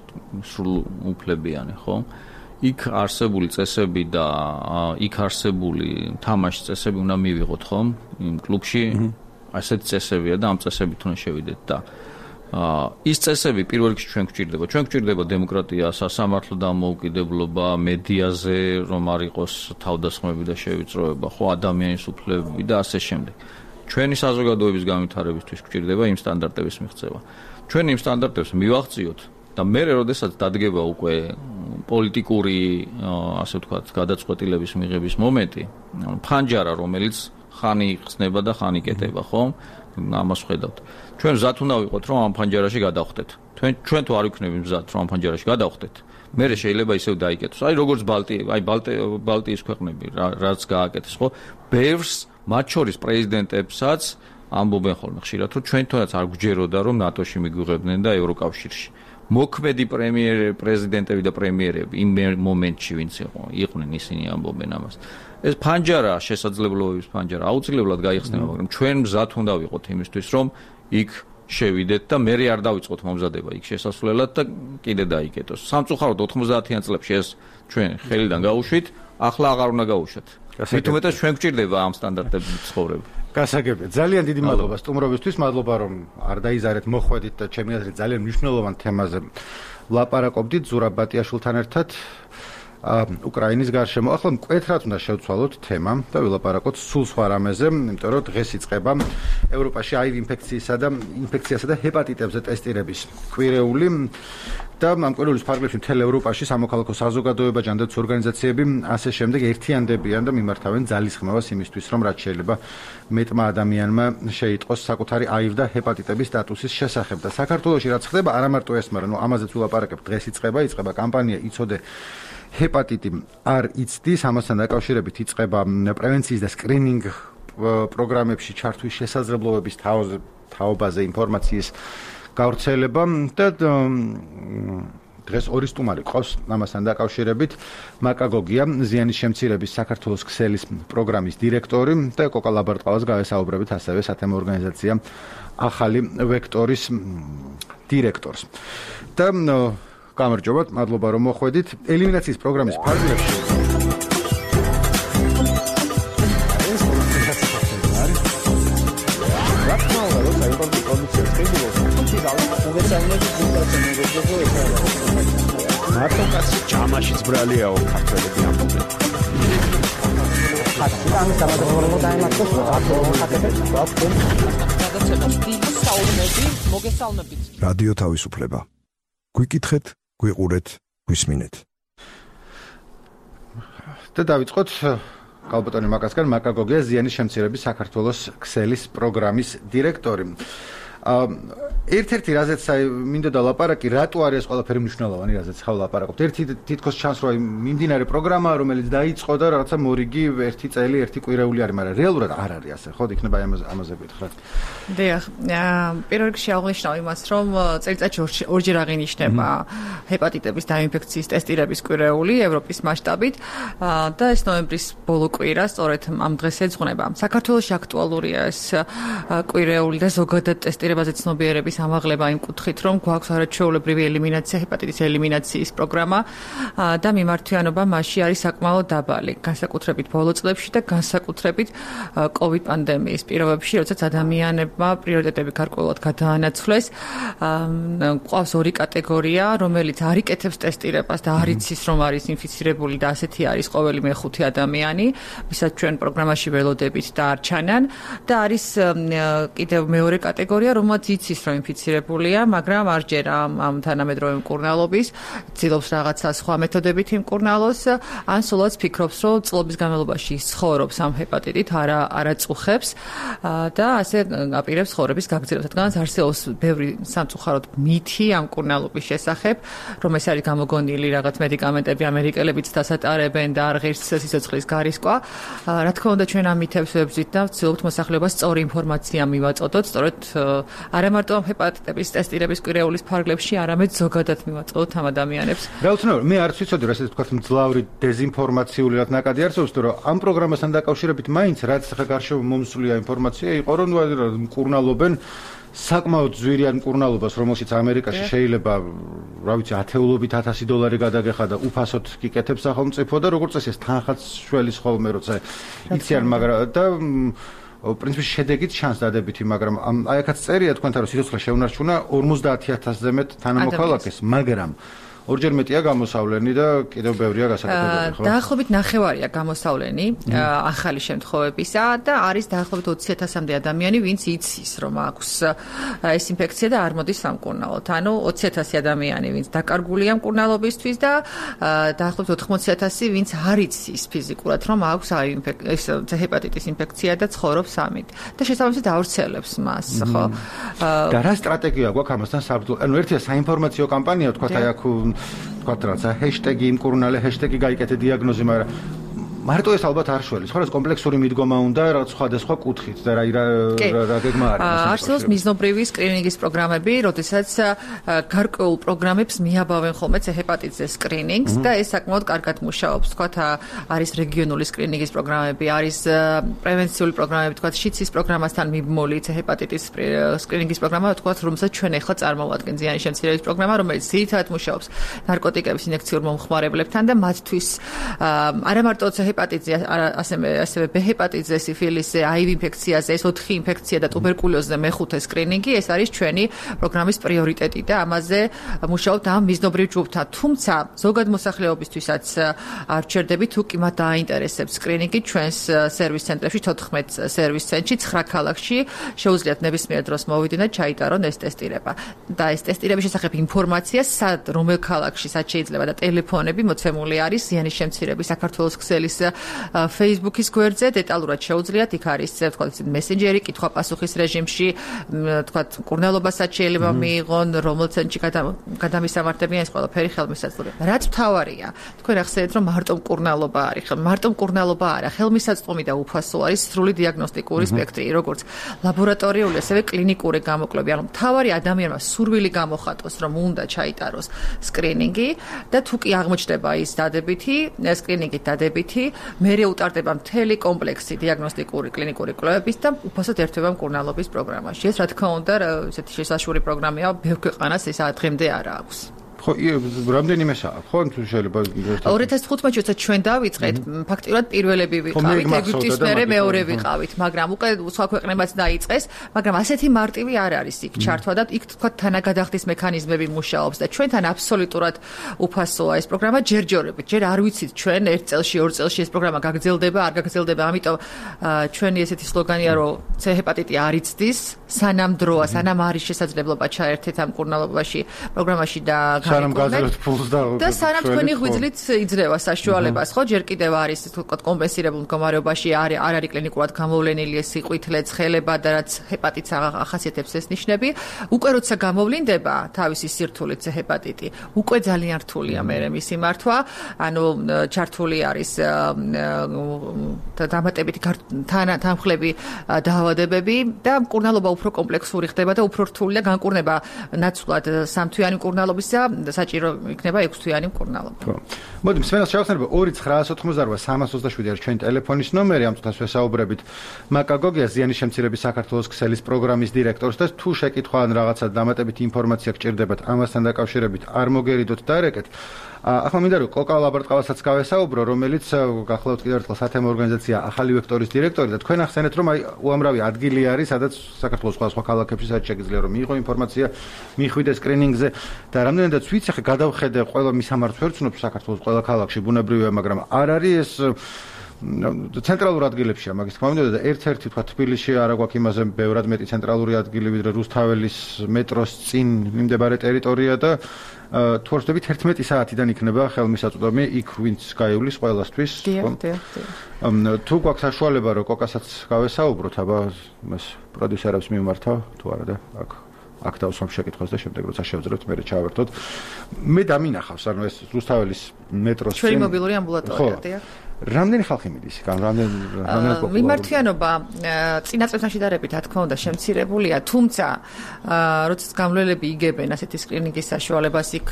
სრულ უფლებიანი, ხო? იქ არსებული წესები და იქ არსებული თამაშის წესები უნდა მივიღოთ, ხო? იმ კლუბში ასეთი წესებია და ამ წესებით უნდა შევიდეთ და ის წესები პირველ რიგში ჩვენ გვჭირდება. ჩვენ გვჭირდება დემოკრატია, სასამართლო დამოუკიდებლობა, მედიაზე რომ არ იყოს თავდასხმები და შევიწროება, ხო, ადამიანის უფლებები და ასე შემდეგ. ჩვენი საზოგადოების განვითარებისთვის გვჭირდება იმ სტანდარტების მიღწევა. ჩვენ იმ სტანდარტებს მივაღწიოთ და მე როდესაც დადგება უკვე პოლიტიკური, ასე ვთქვათ, გადაწყვეტილების მიღების მომენტი, ფანჯარა, რომელიც ხანი იხსნება და ხანი კეტება, ხო? ამას ხედავთ. ჩვენ მზად უნდა ვიყოთ, რომ ამ ფანჯარაში გადავხდეთ. ჩვენ ჩვენ თუ არ ვიქნებით მზად, რომ ამ ფანჯარაში გადავხდეთ, მე შეიძლება ისევ დაიკეტოს. აი როგორც ბალტი, აი ბალტიის ქვეყნები, რაც გააკეთეს, ხო? ბევრს მათ შორის პრეზიდენტებსაც ამბობენ ხოლმე ხშირად, რომ ჩვენ თუნდაც არ გვჯეროდა, რომ ნატოში მიგვიღებდნენ და ევროკავშირში. მოქმედი პრემიერ პრეზიდენტები და პრემიერები იმ მომენტში ვინც იყო, იყვნენ ისინი ამბობენ ამას. ეს ფანჯარა, შესაძლებლობების ფანჯარა აუცილებლად გაიხსნება, მაგრამ ჩვენ მზად უნდა ვიყოთ იმისთვის, რომ იქ შევიდეთ და მე არ დავიწყოთ მომზადება იქ შესასვლელად და კიდე დაიკეტოს. სამწუხაროდ ოთხმოცდაათიან წლებში ეს ჩვენ ხელიდან გაუშვით, ახლა აღარ უნდა გაუშვათ. მით უმეტეს ჩვენ გვჭირდება ამ სტანდარტებით ცხოვრება. გასაგებია. ძალიან დიდი მადლობა სტუმრობისთვის, მადლობა რომ არ დაიზარეთ მოხვედით და ჩემი აზრით ძალიან მნიშვნელოვან თემაზე ვლაპარაკობდით ზურაბ ბატიაშვილთან ერთად უკრაინის გარშემო. ახლა მკვეთრად უნდა შევცვალოთ თემა და ვილაპარაკოთ სულ სხვა რამეზე, იმიტომ რომ დღეს იწყება ევროპაში აივ ინფექციისა და ინფექციასა და ჰეპატიტებზე ტესტირების კვირეული და ამ კვირეულის ფარგლებში მთელ ევროპაში სამოქალაქო საზოგადოება, ჯანდაცვის ორგანიზაციები ასე შემდეგ ერთიანდებიან და მიმართავენ ძალისხმევას იმისთვის, რომ რაც შეიძლება მეტმა ადამიანმა შეიტყოს საკუთარი აივ და ჰეპატიტების სტატუსის შესახებ. და საქართველოში რაც ხდება, არა მარტო ეს, მაგრამ ნუ ამაზეც ვილაპარაკებთ, დღეს იწყება, იწყება კამპანია იცოდე ჰეპატიტი არ იცდის, ამასთან დაკავშირებით იწყება პრევენციის და სკრინინგ პროგრამებში ჩართვის შესაძლებლობების თაობაზე ინფორმაციის გავრცელება და დღეს ორი სტუმარი ყავს ამასთან დაკავშირებით. მაკა გოგია, ზიანის შემცირების საქართველოს ქსელის პროგრამის დირექტორი და კოკა ლაბარტყალას გავესაუბრებით ასევე სათემო ორგანიზაცია ახალი ვექტორის დირექტორს. და გამარჯობათ, მადლობა რომ მოხვედით. ელიმინაციის პროგრამის ფარგლებში მარტო კაცი ჯამაშიც ბრალიაო ქართველები ამბობენ. ამის დამატებულ დაემართოს აკეთებს გადაცემას დიდი საუბნები მოგესალმებით. რადიო თავისუფლება. გვიკითხეთ, გვიყურეთ, გვისმინეთ. და დავიწყოთ კალბატონი მაკასგან მაკაგოგია ზიანის შემცირების საქართველოს ქსელის პროგრამის დირექტორი. ერთ-ერთი რაზეც აი მინდოდა ლაპარაკი, რატო არის ეს ყველაფერი მნიშვნელოვანი, რაზეც ხავ ლაპარაკობთ. ერთი თითქოს ჩანს, რომ მიმდინარე პროგრამაა, რომელიც დაიწყო და რაღაცა მორიგი ერთი წელი, ერთი კვირეული არის, მაგრამ რეალურად არ არის ასე, ხო? იქნება ამაზე ამაზე ვიტხრათ. დიახ, პირველ რიგში აღნიშნავ იმას, რომ წელიწადში ორჯერ აღინიშნება ჰეპატიტების დაინფექციის ტესტირების კვირეული ევროპის მასშტაბით და ეს ნოემბრის ბოლო კვირა სწორედ ამ დღეს ეძღვნება. საქართველოში აქტუალურია ეს კვირეული და ზოგადად ტესტირებაზე ცნობიერების ამაღლება იმ კუთხით, რომ გვაქვს არაჩვეულებრივი ელიმინაცია, ჰეპატიტის ელიმინაციის პროგრამა და მიმართვიანობა მასში არის საკმაოდ დაბალი, განსაკუთრებით ბოლო წლებში და განსაკუთრებით კოვიდ პანდემიის პირობებში, როდესაც ადამიანებმა პრიორიტეტები გარკვეულად გადაანაცვლეს. გვყავს ორი კატეგორია, რომელიც არ იკეთებს ტესტირებას და არ იცის, რომ არის ინფიცირებული და ასეთი არის ყოველი მეხუთე ადამიანი, ვისაც ჩვენ პროგრამაში ველოდებით და არ ჩანან და არის კიდევ მეორე კატეგორია, რომელიც იცის, რომ ინფიცირებულია, მაგრამ არ ჯერა ამ თანამედროვე მკურნალობის, ცდილობს რაღაცა სხვა მეთოდებით იმკურნალოს, ან სულაც ფიქრობს, რომ წლების განმავლობაში ცხოვრობს ამ ჰეპატიტით, არა არაწუხებს და ასე აპირებს ცხოვრების გაგრძელებას. რადგანაც არსებობს ბევრი სამწუხაროდ მითი ამ მკურნალობის შესახებ, რომ ეს არის გამოგონილი რაღაც მედიკამენტები ამერიკელებიც დასატარებენ და არ ღირს სიცოცხლის გარისკვა. რა თქმა უნდა, ჩვენ ამ მითებს ვებრძვით და ვცდილობთ მოსახლეობას სწორი ინფორმაცია მივაწოდოთ, სწორედ არა მარტო ამ ჰეპატიტების ტესტირების კვირეულის ფარგლებში, არამედ ზოგადად მივაწოდოთ ამ ადამიანებს. რა უცნაური, მე არც ვიცოდი, რომ ესე თქვა მძლავრი დეზინფორმაციული რაც ნაკადი არსებობს, რომ ამ პროგრამასთან დაკავშირებით მაინც რაც ხა გარშემო მომსვლია ინფორმაცია იყო, რომ მკურნალობენ საკმაოდ ძვირიან მკურნალობას, რომელშიც ამერიკაში შეიძლება, რა ვიცი, ათეულობით ათასი დოლარი გადაგეხა და უფასოდ გიკეთებს სახელმწიფო და როგორც წესი ეს თანხაც შველის ხოლმე როცა იციან, მაგრამ და პრინციპში შედეგით ჩანს დადებითი, მაგრამ აი აქაც წერია თქვენთან, რომ სიცოცხლე შეუნარჩუნა ორმოცდაათი ათასზე მეტ თანამოქალაქეს, მაგრამ ორჯერ მეტია გამოსავლენი და კიდევ ბევრია გასაკეთებელი, ხო? დაახლოებით ნახევარია გამოსავლენი ახალი შემთხვევებისა და არის დაახლოებით ოცი ათასამდე ადამიანი, ვინც იცის, რომ აქვს ეს ინფექცია და არ მოდის სამკურნალოდ. ანუ ოცი ათასი ადამიანი, ვინც დაკარგულია მკურნალობისთვის და დაახლოებით ოთხმოცი ათასი, ვინც არ იცის ფიზიკურად, რომ აქვს ეს ჰეპატიტის ინფექცია და ცხოვრობს ამით. და შესაბამისად ავრცელებს მას, ხო? და რა სტრატეგია გვაქვს ამასთან საბრძოლო? ანუ ერთია საინფორმაციო კამპანია, თქვათ აი აქ თქვათ რაცა ჰეშტეგი იმკურნალე, ჰეშტეგი გაიკეთე დიაგნოზი, მაგრამ მარტო ეს ალბათ არ შველის, ხო, ეს კომპლექსური მიდგომა უნდა რაღაც სხვადასხვა კუთხით და რა რა გეგმა არის. არსებობს მიზნობრივი სკრინინგის პროგრამები, როდესაც გარკვეულ პროგრამებს მიაბავენ ხოლმე ჰეპატიტზე სკრინინგს და ეს საკმაოდ კარგად მუშაობს. თქვათ არის რეგიონული სკრინინგის პროგრამები, არის პრევენციული პროგრამები, თქვათ შიცის პროგრამასთან მიბმული ჰეპატიტის სკრინინგის პროგრამა, თქვათ რომელსაც ჩვენ ახლა წარმოვადგენთ ზიანის შემცირების პროგრამა, რომელიც ძირითადად მუშაობს ნარკოტიკების ინექციურ მომხმარებლებთან და მათთვის არა მარტო ჰეპატიტზე, ასევე ასევე ბ ჰეპატიტზე, სიფილისზე, აივ ინფექციაზე, ეს ოთხი ინფექცია და ტუბერკულოზზე მეხუთე სკრინინგი, ეს არის ჩვენი პროგრამის პრიორიტეტი და ამაზე მუშაობთ ამ მიზნობრივ ჯგუფთან. თუმცა ზოგად მოსახლეობისთვისაც არ ვჩერდებით, თუ კი მათ დააინტერესებს სკრინინგი, ჩვენს სერვის ცენტრებში თოთხმეტ სერვის ცენტრში ცხრა ქალაქში შეუძლიათ ნებისმიერ დროს მოვიდნენ და ჩაიტარონ ეს ტესტირება. და ეს ტესტირების შესახებ ინფორმაცია, სად, რომელ ქალაქში სად შეიძლება და ტელეფონები მოცემული არის ზიანის შემცირების საქართველოს ქსელის Facebook-ის გვერდზე, დეტალურად შეუძლიათ, იქ არის თქვა მესენჯერი, კითხვა-პასუხის რეჟიმში, თქვა მკურნალობასაც შეიძლება მიიღონ, რომელ ცენტრში გადამისამართებიან, ეს ყველაფერი ხელმისაწვდომია. რაც მთავარია, თქვენ ახსენეთ, რომ მარტო მკურნალობა არის, მარტო მკურნალობა არა, ხელმისაწვდომი და უფასო არის სრული დიაგნოსტიკური სპექტრი, როგორც ლაბორატორიული, ასევე კლინიკური გამოკვლევები. ანუ მთავარი ადამიანმა სურვილი გამოხატოს, რომ უნდა ჩაიტაროს სკრინინგი და თუ კი აღმოჩნდება ის დადებითი, სკრინინგით დადებითი, მერე utardeba მთელი კომპლექსი დიაგნოსტიკური კლინიკური კვლევების და უფასოდ ერთვება მკურნალობის პროგრამაში. ეს რა თქმა უნდა, ესეთი შესაშური პროგრამაა, ბევრ ქვეყანას ეს დღემდე არ აქვს. ხო, რამდენიმე საათი, ხო, თუ შეიძლება ორი ათას თხუთმეტში როცა ჩვენ დავიწყეთ, ფაქტიურად პირველები ვიყავით, ეგვიპტის მერე მეორე ვიყავით, მაგრამ უკვე სხვა ქვეყნებაც დაიწყეს, მაგრამ ასეთი მარტივი არ არის იქ ჩართვა და იქ თქვა თანაგადახდის მექანიზმები მუშაობს და ჩვენთან აბსოლუტურად უფასოა ეს პროგრამა ჯერჯერობით. ჯერ არ ვიცით ჩვენ ერთ წელში, ორ წელში ეს პროგრამა გაგრძელდება, არ გაგრძელდება, ამიტომ ჩვენი ესეთი სლოგანია, რომ C ჰეპატიტი არ იცდის, სანამ დროა, სანამ არის შესაძლებლობა ჩაერთეთ ამ კურნალობაში პროგრამაში და სანამ გაძლევთ ფულს და და სანამ თქვენი ღვიძლით იძლევა საშუალებას, ხო, ჯერ კიდევ არის თქო კომპენსირებულ მდგომარეობაში არ არ არის კლინიკურად გამოვლენილი ეს სიყვითლე, ცხელება და რაც ჰეპატიტს ახასიათებს ეს ნიშნები, უკვე როცა გამოვლინდება თავისი სირთულით C ჰეპატიტი, უკვე ძალიან რთულია მერე მისი მართვა, ანუ ჩართული არის დამატებითი თანხმლები დაავადებები და მკურნალობა უფრო კომპლექსური ხდება და უფრო რთული და განკურნება ნაცვლად სამთვიანი მკურნალობისა საჭირო იქნება ექვსთვიანი მკურნალობა. ხო. მოდი მსმენელს შევახსენებ ორი ცხრაას ოთხმოცდაოთხი სამას ოცდაშვიდი არის ჩვენი ტელეფონის ნომერი, ამ წუთას ვესაუბრებით მაკა გოგია ზიანის შემცირების საქართველოს ქსელის პროგრამის დირექტორს და თუ შეკითხვა ან რაღაცა დამატებითი ინფორმაცია გჭირდებათ ამასთან დაკავშირებით არ მოგერიდოთ დარეკეთ. ახლა მინდა რომ კოკა ლაბარტყავასაც გავესაუბრო, რომელიც გახლავთ კიდევ ერთხელ სათემო ორგანიზაცია ახალი ვექტორის დირექტორი და თქვენ ახსენეთ რომ აი უამრავი ადგილი არის, სადაც საქართველოს სხვა სხვა ქალაქებში სადაც შეგიძლია რომ მიიღო ინფორმაცია, მიხვიდეს სკრინინგზე და რამდენადაც ვიცი, ახლა გადავხედე ყველა მისამართს ვერ ვცნობ საქართველოს ყველა ქალაქში ბუნებრივია, მაგრამ არ არის ეს ცენტრალურ ადგილებშია მაგის თქმა უნდა და ერთ-ერთი თქვა თბილისში არა გვაქვს იმაზე ბევრად მეტი ცენტრალური ადგილი ვიდრე რუსთაველის მეტროს წინ მიმდებარე ტერიტორია და თუ არ ვთქვი თერთმეტი საათიდან იქნება ხელმისაწვდომი იქ ვინც გაივლის ყველასთვის თუ გვაქვს საშუალება რომ კოკასაც გავესაუბროთ აბა მას პროდიუსერებს მიმართავ თუ არა და აქ აქ დავსვამ შეკითხვას და შემდეგ როცა შევძლებთ მე ჩავერთოთ მე დამინახავს ანუ ეს რუსთაველის მეტროს წინ ჩვენი მობილური ამბულატორია დიახ რამდენი ხალხი მიდის იქ? რამდენი რამდენი პოპულარულია? მიმართვიანობა წინა წელს შედარებით, რა თქმა უნდა, შემცირებულია, თუმცა როდესაც გამვლელები იგებენ ასეთი სკრინინგის საშუალებას, იქ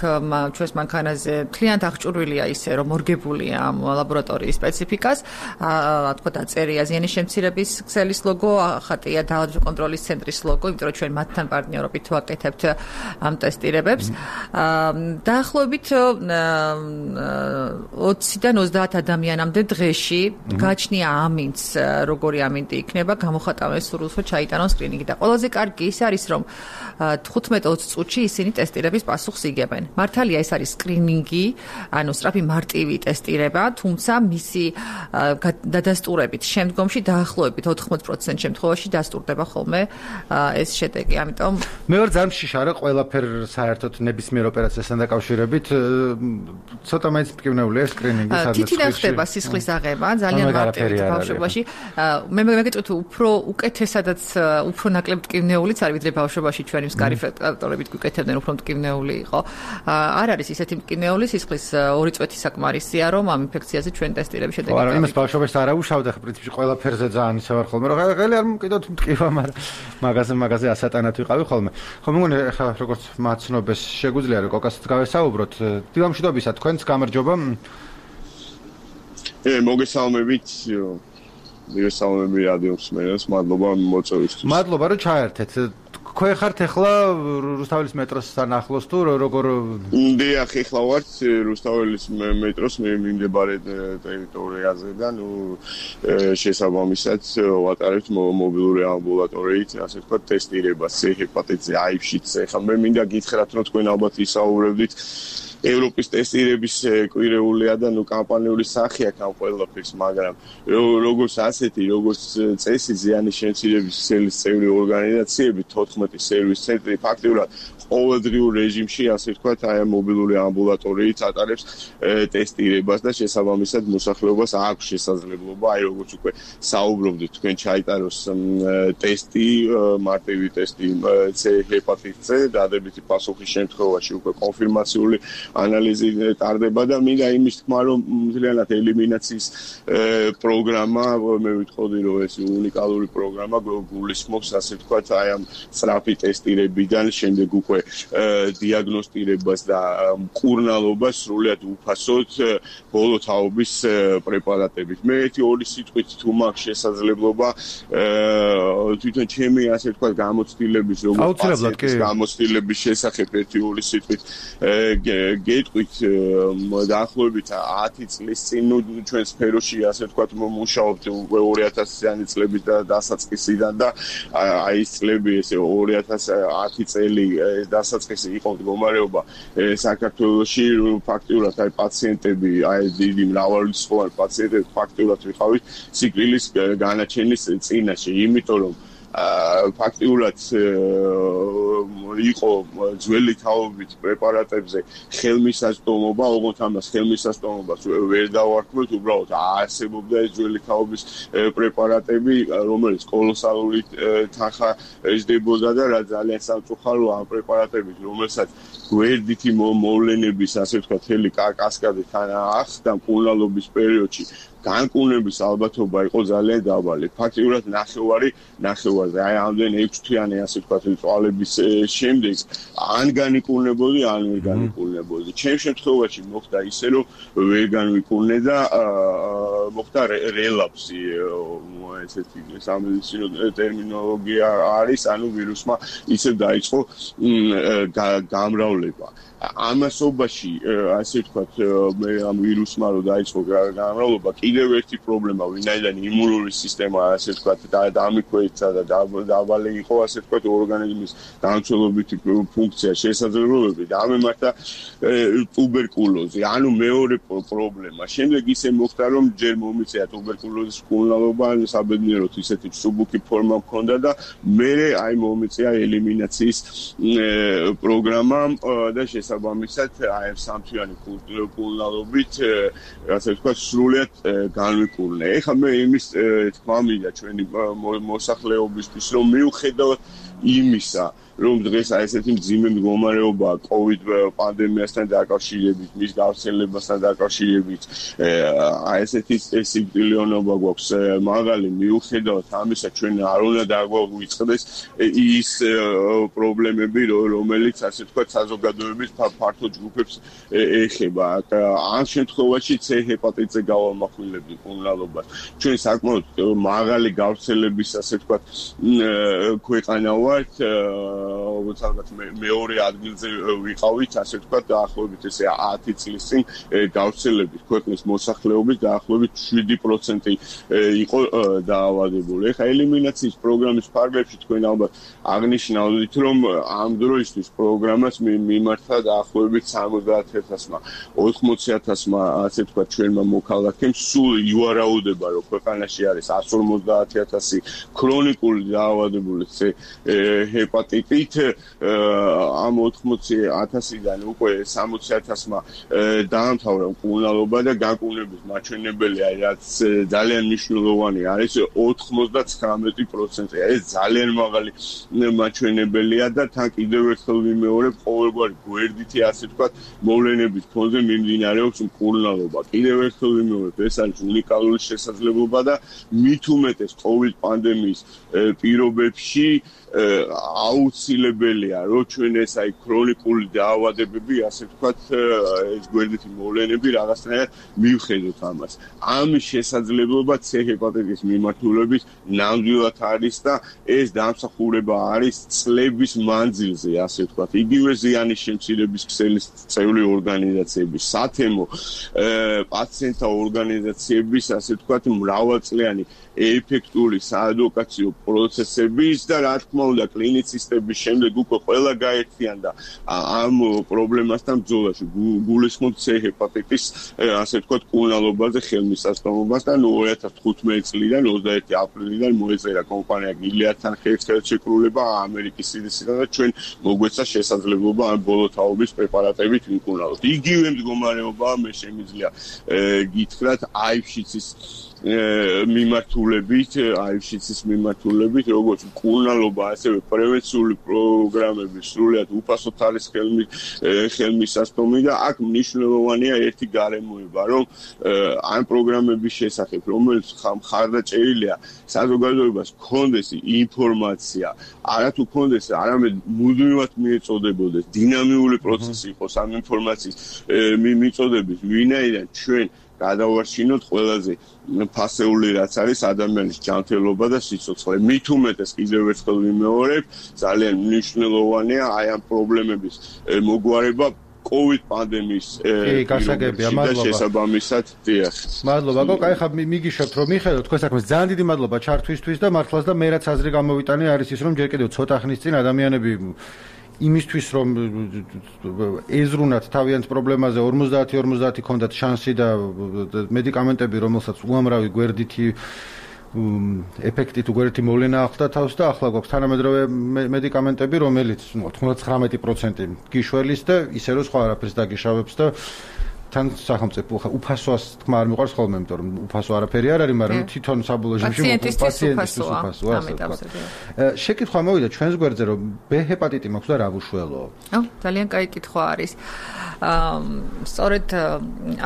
ჩვენს მანქანაზე მთლიანად აღჭურვილია ისე, რომ მორგებულია ამ ლაბორატორიის სპეციფიკას, რა თქმა უნდა, წერია ზიანის შემცირების ქსელის ლოგო, ხატია დაავადებების კონტროლის ცენტრის ლოგო, იმიტომ რომ ჩვენ მათთან პარტნიორობით ვაკეთებთ ამ ტესტირებებს. დაახლოებით ოციდან ოცდაათ ადამიანამდე დღეში გაჩნია ამინდს, როგორი ამინდი იქნება, გამოხატავენ სურვილს, რომ ჩაიტანონ სკრინინგი და ყველაზე კარგი ის არის, რომ თხუთმეტ ოცი წუთში ისინი ტესტირების პასუხს იგებენ. მართალია ეს არის სკრინინგი, ანუ სწრაფი მარტივი ტესტირება, თუმცა მისი დადასტურებით შემდგომში დაახლოებით ოთხმოცდაოთხ პროცენტ შემთხვევაში დასტურდება ხოლმე ეს შედეგი. ამიტომ მე ვარ ძალიან მშიშარა ყველაფერ საერთოდ ნებისმიერ ოპერაციასთან დაკავშირებით, ცოტა მაინც მტკივნეულია სკრინინგი სადაც თითიდან ხდება სისხლის აღება, ძალიან მარტივი ბავშვობაში. მე მეგეთქვი თუ უფრო უკეთესადაც უფრო ნაკლებ მტკივნეულიც არის ვიდრე ბავშვობაში ჩვენი მსკარი ფაქტორებით გვიკეთებდნენ უფრო მტკივნეული იყო. არ არის ისეთი მტკივნეული სისხლის ორი წვეთი საკმარისია, რომ ამ ინფექციაზე ჩვენ ტესტირების შედეგი არა, იმას ბავშვობაში არ აუშავდა, პრინციპში ყველაფერზე ძალიან ისე ვარ ხოლმე, რომ ხელი არ მოკიდოთ მტკივა, მაგრამ მაგაზე მაგაზე ასატანად ვიყავი ხოლმე. ხო, მეგონი ახლა როგორც მაცნობას შეგვიძლია რომ კოკასაც გავესაუბროთ. დილამშვიდობისა, თქვენს გამარჯობა. ე მოგესალმებით. მოგესალმები რადიო მსმენელს, მადლობა მოწვევისთვის. მადლობა რომ ჩაერთეთ. თქვენ ხართ ახლა რუსთაველის მეტროსთან ახლოს თუ როგორ? დიახ, ახლა ვართ რუსთაველის მეტროს მიმდებარე ტერიტორიაზე და ნუ შესაბამისად ვატარებთ მობილური ამბულატორიით, ასე ვთქვათ, ტესტირებას C ჰეპატიტზე, აიფშიც. ახლა მე მინდა გითხრათ, რომ თქვენ ალბათ ისაუბრებდით ევროპის ტესტირების კვირეულია და ნუ კამპანიური სახე აქვს ამ ყველაფერს, მაგრამ როგორც ასეთი, როგორც წესი ზიანის შემცირების ქსელის წევრი ორგანიზაციები, თოთხმეტი სერვის ცენტრი ფაქტიურად ყოველდღიურ რეჟიმში, ასე ვთქვათ, აი ამ მობილური ამბულატორიით ატარებს ტესტირებას და შესაბამისად მოსახლეობას აქვს შესაძლებლობა, აი როგორც უკვე საუბრობდით, თქვენ ჩაიტაროს ტესტი, მარტივი ტესტი C ჰეპატიტზე, დადებითი პასუხის შემთხვევაში უკვე კონფირმაციული ანალიზი ტარდება და მინდა იმის თქმა, რომ მთლიანად ელიმინაციის პროგრამა, მე ვიტყოდი, რომ ეს უნიკალური პროგრამა გულისხმობს, ასე ვთქვათ, აი ამ სწრაფი ტესტირებიდან შემდეგ უკვე დიაგნოსტირებას და მკურნალობას სრულად უფასოდ ბოლო თაობის პრეპარატებით. მე ერთი ორი სიტყვით თუ მაქვს შესაძლებლობა თვითონ ჩემი ასე ვთქვათ გამოცდილების როგორც პაციენტის გამოცდილების შესახებ ერთი ორი სიტყვით გეტყვით დაახლოებით ათი წლის წინ ჩვენ სფეროში ასე ვთქვათ მუშაობთ უკვე ორი ათასიანი წლების დასაწყისიდან და აი ეს წლები ესე ორი ათას ათი წელი დასაწყისი იყო მდგომარეობა საქართველოში ფაქტიურად აი პაციენტები აი დიდი მრავალრიცხოვანი პაციენტები ფაქტიურად ვიყავით სიკვდილის განაჩენის წინაშე, იმიტომ რომ ფაქტიურად იყო ძველი თაობით პრეპარატებზე ხელმისაწვდომობა, ოღონდ ამას ხელმისაწვდომობას ვერ დავარქმევთ, უბრალოდ არსებობდა ეს ძველი თაობის პრეპარატები, რომელიც კოლოსალური თანხა ეზრდებოდა და რა ძალიან სამწუხაროა ამ პრეპარატებით, რომელსაც გვერდითი მოვლენების, ასე ვთქვათ, მთელი კასკადი თან ახსნა მკურნალობის პერიოდში. განკურნების ალბათობა იყო ძალიან დაბალი. ფაქტიურად ნახევარი, ნახევარზე, აი ამდენ ექვს თვიანი ასე ვთქვათ, წვალების შემდეგ ან განიკურნებოდი, ან ვერ განიკურნებოდი. ჩემ შემთხვევაში მოხდა ისე, რომ ვერ განვიკურნე და მოხდა რელაპსი, ესეთი სამედიცინო ტერმინოლოგია არის, ანუ ვირუსმა ისევ დაიწყო გამრავლება. ამასობაში ასე ვთქვათ, მე ამ ვირუსმა რო დაიწყო გამრავლება, კიდევ ერთი პრობლემა, ვინაიდან იმუნური სისტემა ასე ვთქვათ დამიქვეითდა და დაბალი იყო ასე ვთქვათ ორგანიზმის დამცველობითი ფუნქცია შესაძლებლობები და ამემართა ტუბერკულოზი, ანუ მეორე პრობლემა. შემდეგ ისე მოხდა, რომ ჯერ მომიწია ტუბერკულოზის მკურნალობა, საბედნიეროდ ისეთი მსუბუქი ფორმა მქონდა და მერე აი მომიწია ელიმინაციის პროგრამა და შესაბამისად აი ამ სამთვიანი მკურნალობით ასე ვთქვათ სრულად განვიკურნე. ეხლა მე იმის თქმა მინდა ჩვენი მოსახლეობისთვის, რომ მიუხედავად იმისა, რომ დღეს აი ესეთი მძიმე მდგომარეობაა COVID პანდემიასთან დაკავშირებით, მის გავრცელებასთან დაკავშირებით, აი ესეთი სიკვდილიანობა გვაქვს მაღალი, მიუხედავად ამისა, ჩვენ არ უნდა დაგვიწყდეს ის პრობლემები, რომელიც ასე ვთქვათ საზოგადოების ფართო ჯგუფებს ეხება. ამ შემთხვევაში C ჰეპატიტზე გავამახვილებდი მკურნალობას. ჩვენ საკმაოდ მაღალი გავრცელების ასე ვთქვათ ქვეყანა ვართ, როგორც ალბათ მეორე ადგილზე ვიყავით, ასე ვთქვათ, დაახლოებით ესე ათი წლის წინ გავრცელებით ქვეყნის მოსახლეობის დაახლოებით შვიდი პროცენტი იყო დაავადებული. ეხლა ელიმინაციის პროგრამის ფარგლებში თქვენ ალბათ აღნიშნავთ, რომ ამ დროისთვის პროგრამას მიმართა დაახლოებით სამოცდაათი ათასმა, ოთხმოცი ათასმა, ასე ვთქვათ, ჩვენმა მოქალაქემ სულ ივარაუდება, რომ ქვეყანაში არის εκατს ორმოცდაათი ათასი ქრონიკული დაავადებული ჰეპატიტით, ამ ოთხმოცი ათასიდან უკვე სამოცი ათასმა დაამთავრა მკურნალობა და განკურნების მაჩვენებელი, რაც ძალიან მნიშვნელოვანი არის, ოთხმოცდაცხრამეტი პროცენტი. ეს ძალიან მაღალი მაჩვენებელია და თან კიდევ ერთხელ ვიმეორებ, ყოველგვარი გვერდითი ასე ვთქვათ, მოვლენების ფონზე მიმდინარეობს მკურნალობა. კიდევ ერთხელ ვიმეორებ, ეს არის უნიკალური შესაძლებლობა და მით უმეტეს COVID პანდემიის პირობებში აუცილებელია, რომ ჩვენ ეს აი ქრონიკული დაავადებები, ასე ვთქვათ, ეს გვერდითი მოვლენები რაღაცნაირად მივხედოთ ამას. ამის შესაძლებლობა C ჰეპატიტის მიმართულებით ნამდვილად არის და ეს დამსახურება არის წლების მანძილზე, ასე ვთქვათ. იგივე ზიანის შემცირების ქსელის წევრი ორგანიზაციების, სათემო პაციენტთა ორგანიზაციების, ასე ვთქვათ, მრავალწლიანი ეფექტური საადვოკაციო პროცესების და რა თქმა უნდა კლინიცისტების შემდეგ უკვე ყველა გაერთიანდა ამ პრობლემასთან ბრძოლაში. გულისხმობ C ჰეპატიტის, ასე ვთქვათ, მკურნალობაზე ხელმისაწვდომობას და ორი ათას თხუთმეტი წლიდან ოცდაერთი აპრილიდან მოეწერა კომპანია გილიადთან ხელშეკრულება ამერიკის C D C-დან და ჩვენ მოგვეცა შესაძლებლობა ამ ბოლო თაობის პრეპარატებით ვიმკურნალოთ. იგივე მდგომარეობაა მე შემიძლია გითხრათ აიფშიცის მიმართულებით, აიფშიცის მიმართულებით, როგორც მკურნალობა ასევე პრევენციული პროგრამები სრულიად უფასოდ არის ხელმი ხელმისაწვდომი და აქ მნიშვნელოვანია ერთი გარემოება, რომ ამ პროგრამების შესახებ, რომელიც მხარდაჭერილია საზოგადოებას გქონდეს ინფორმაცია, არათუ გქონდეს, არამედ მუდმივად მიეწოდებოდეს, დინამიური პროცესი იყოს ამ ინფორმაციის მიწოდების, ვინაიდან ჩვენ გადავარჩინოთ ყველაზე ფასეული რაც არის ადამიანის ჯანმრთელობა და სიცოცხლე. მით უმეტეს კიდევ ერთხელ ვიმეორებ, ძალიან მნიშვნელოვანია აი ამ პრობლემების მოგვარება COVID პანდემიის შესაბამისად. დიახ. მადლობა, გოგო, აი ხა მიგიშოთ რომ მიხეილო თქვენ საქმეს ძალიან დიდი მადლობა ჩართვისთვის და მართლაც და მე რაც აზრი გამოვიტანე არის ის რომ ჯერ კიდევ ცოტა ხნის წინ ადამიანები იმისთვის რომ ეზრუნათ თავიანთ პრობლემაზე ორმოცდაათი ორმოცდაათი ქონდათ შანსი და მედიკამენტები რომელსაც უამრავი გვერდითი ეფექტით უგვერდითი მოვლენა ახლდა თავს და ახლა გვაქვს თანამედროვე მედიკამენტები რომელიც ოცდათხმეტი პროცენტი გიშველის და ისე რომ სხვა არაფერს დაგიშავებს და თან სახელმწიფო უფასოას თქმა არ მიყვარს ხოლმე, იმიტომ რომ უფასო არაფერი არ არის, მაგრამ თვითონ საბოლოო შემთხვევაში პაციენტისთვის უფასოა. შეკითხვა მოვიდა ჩვენს გვერდზე, რომ B ჰეპატიტი მაქვს და რა ვუშველო? ო, ძალიან კაი კითხვა არის. სწორედ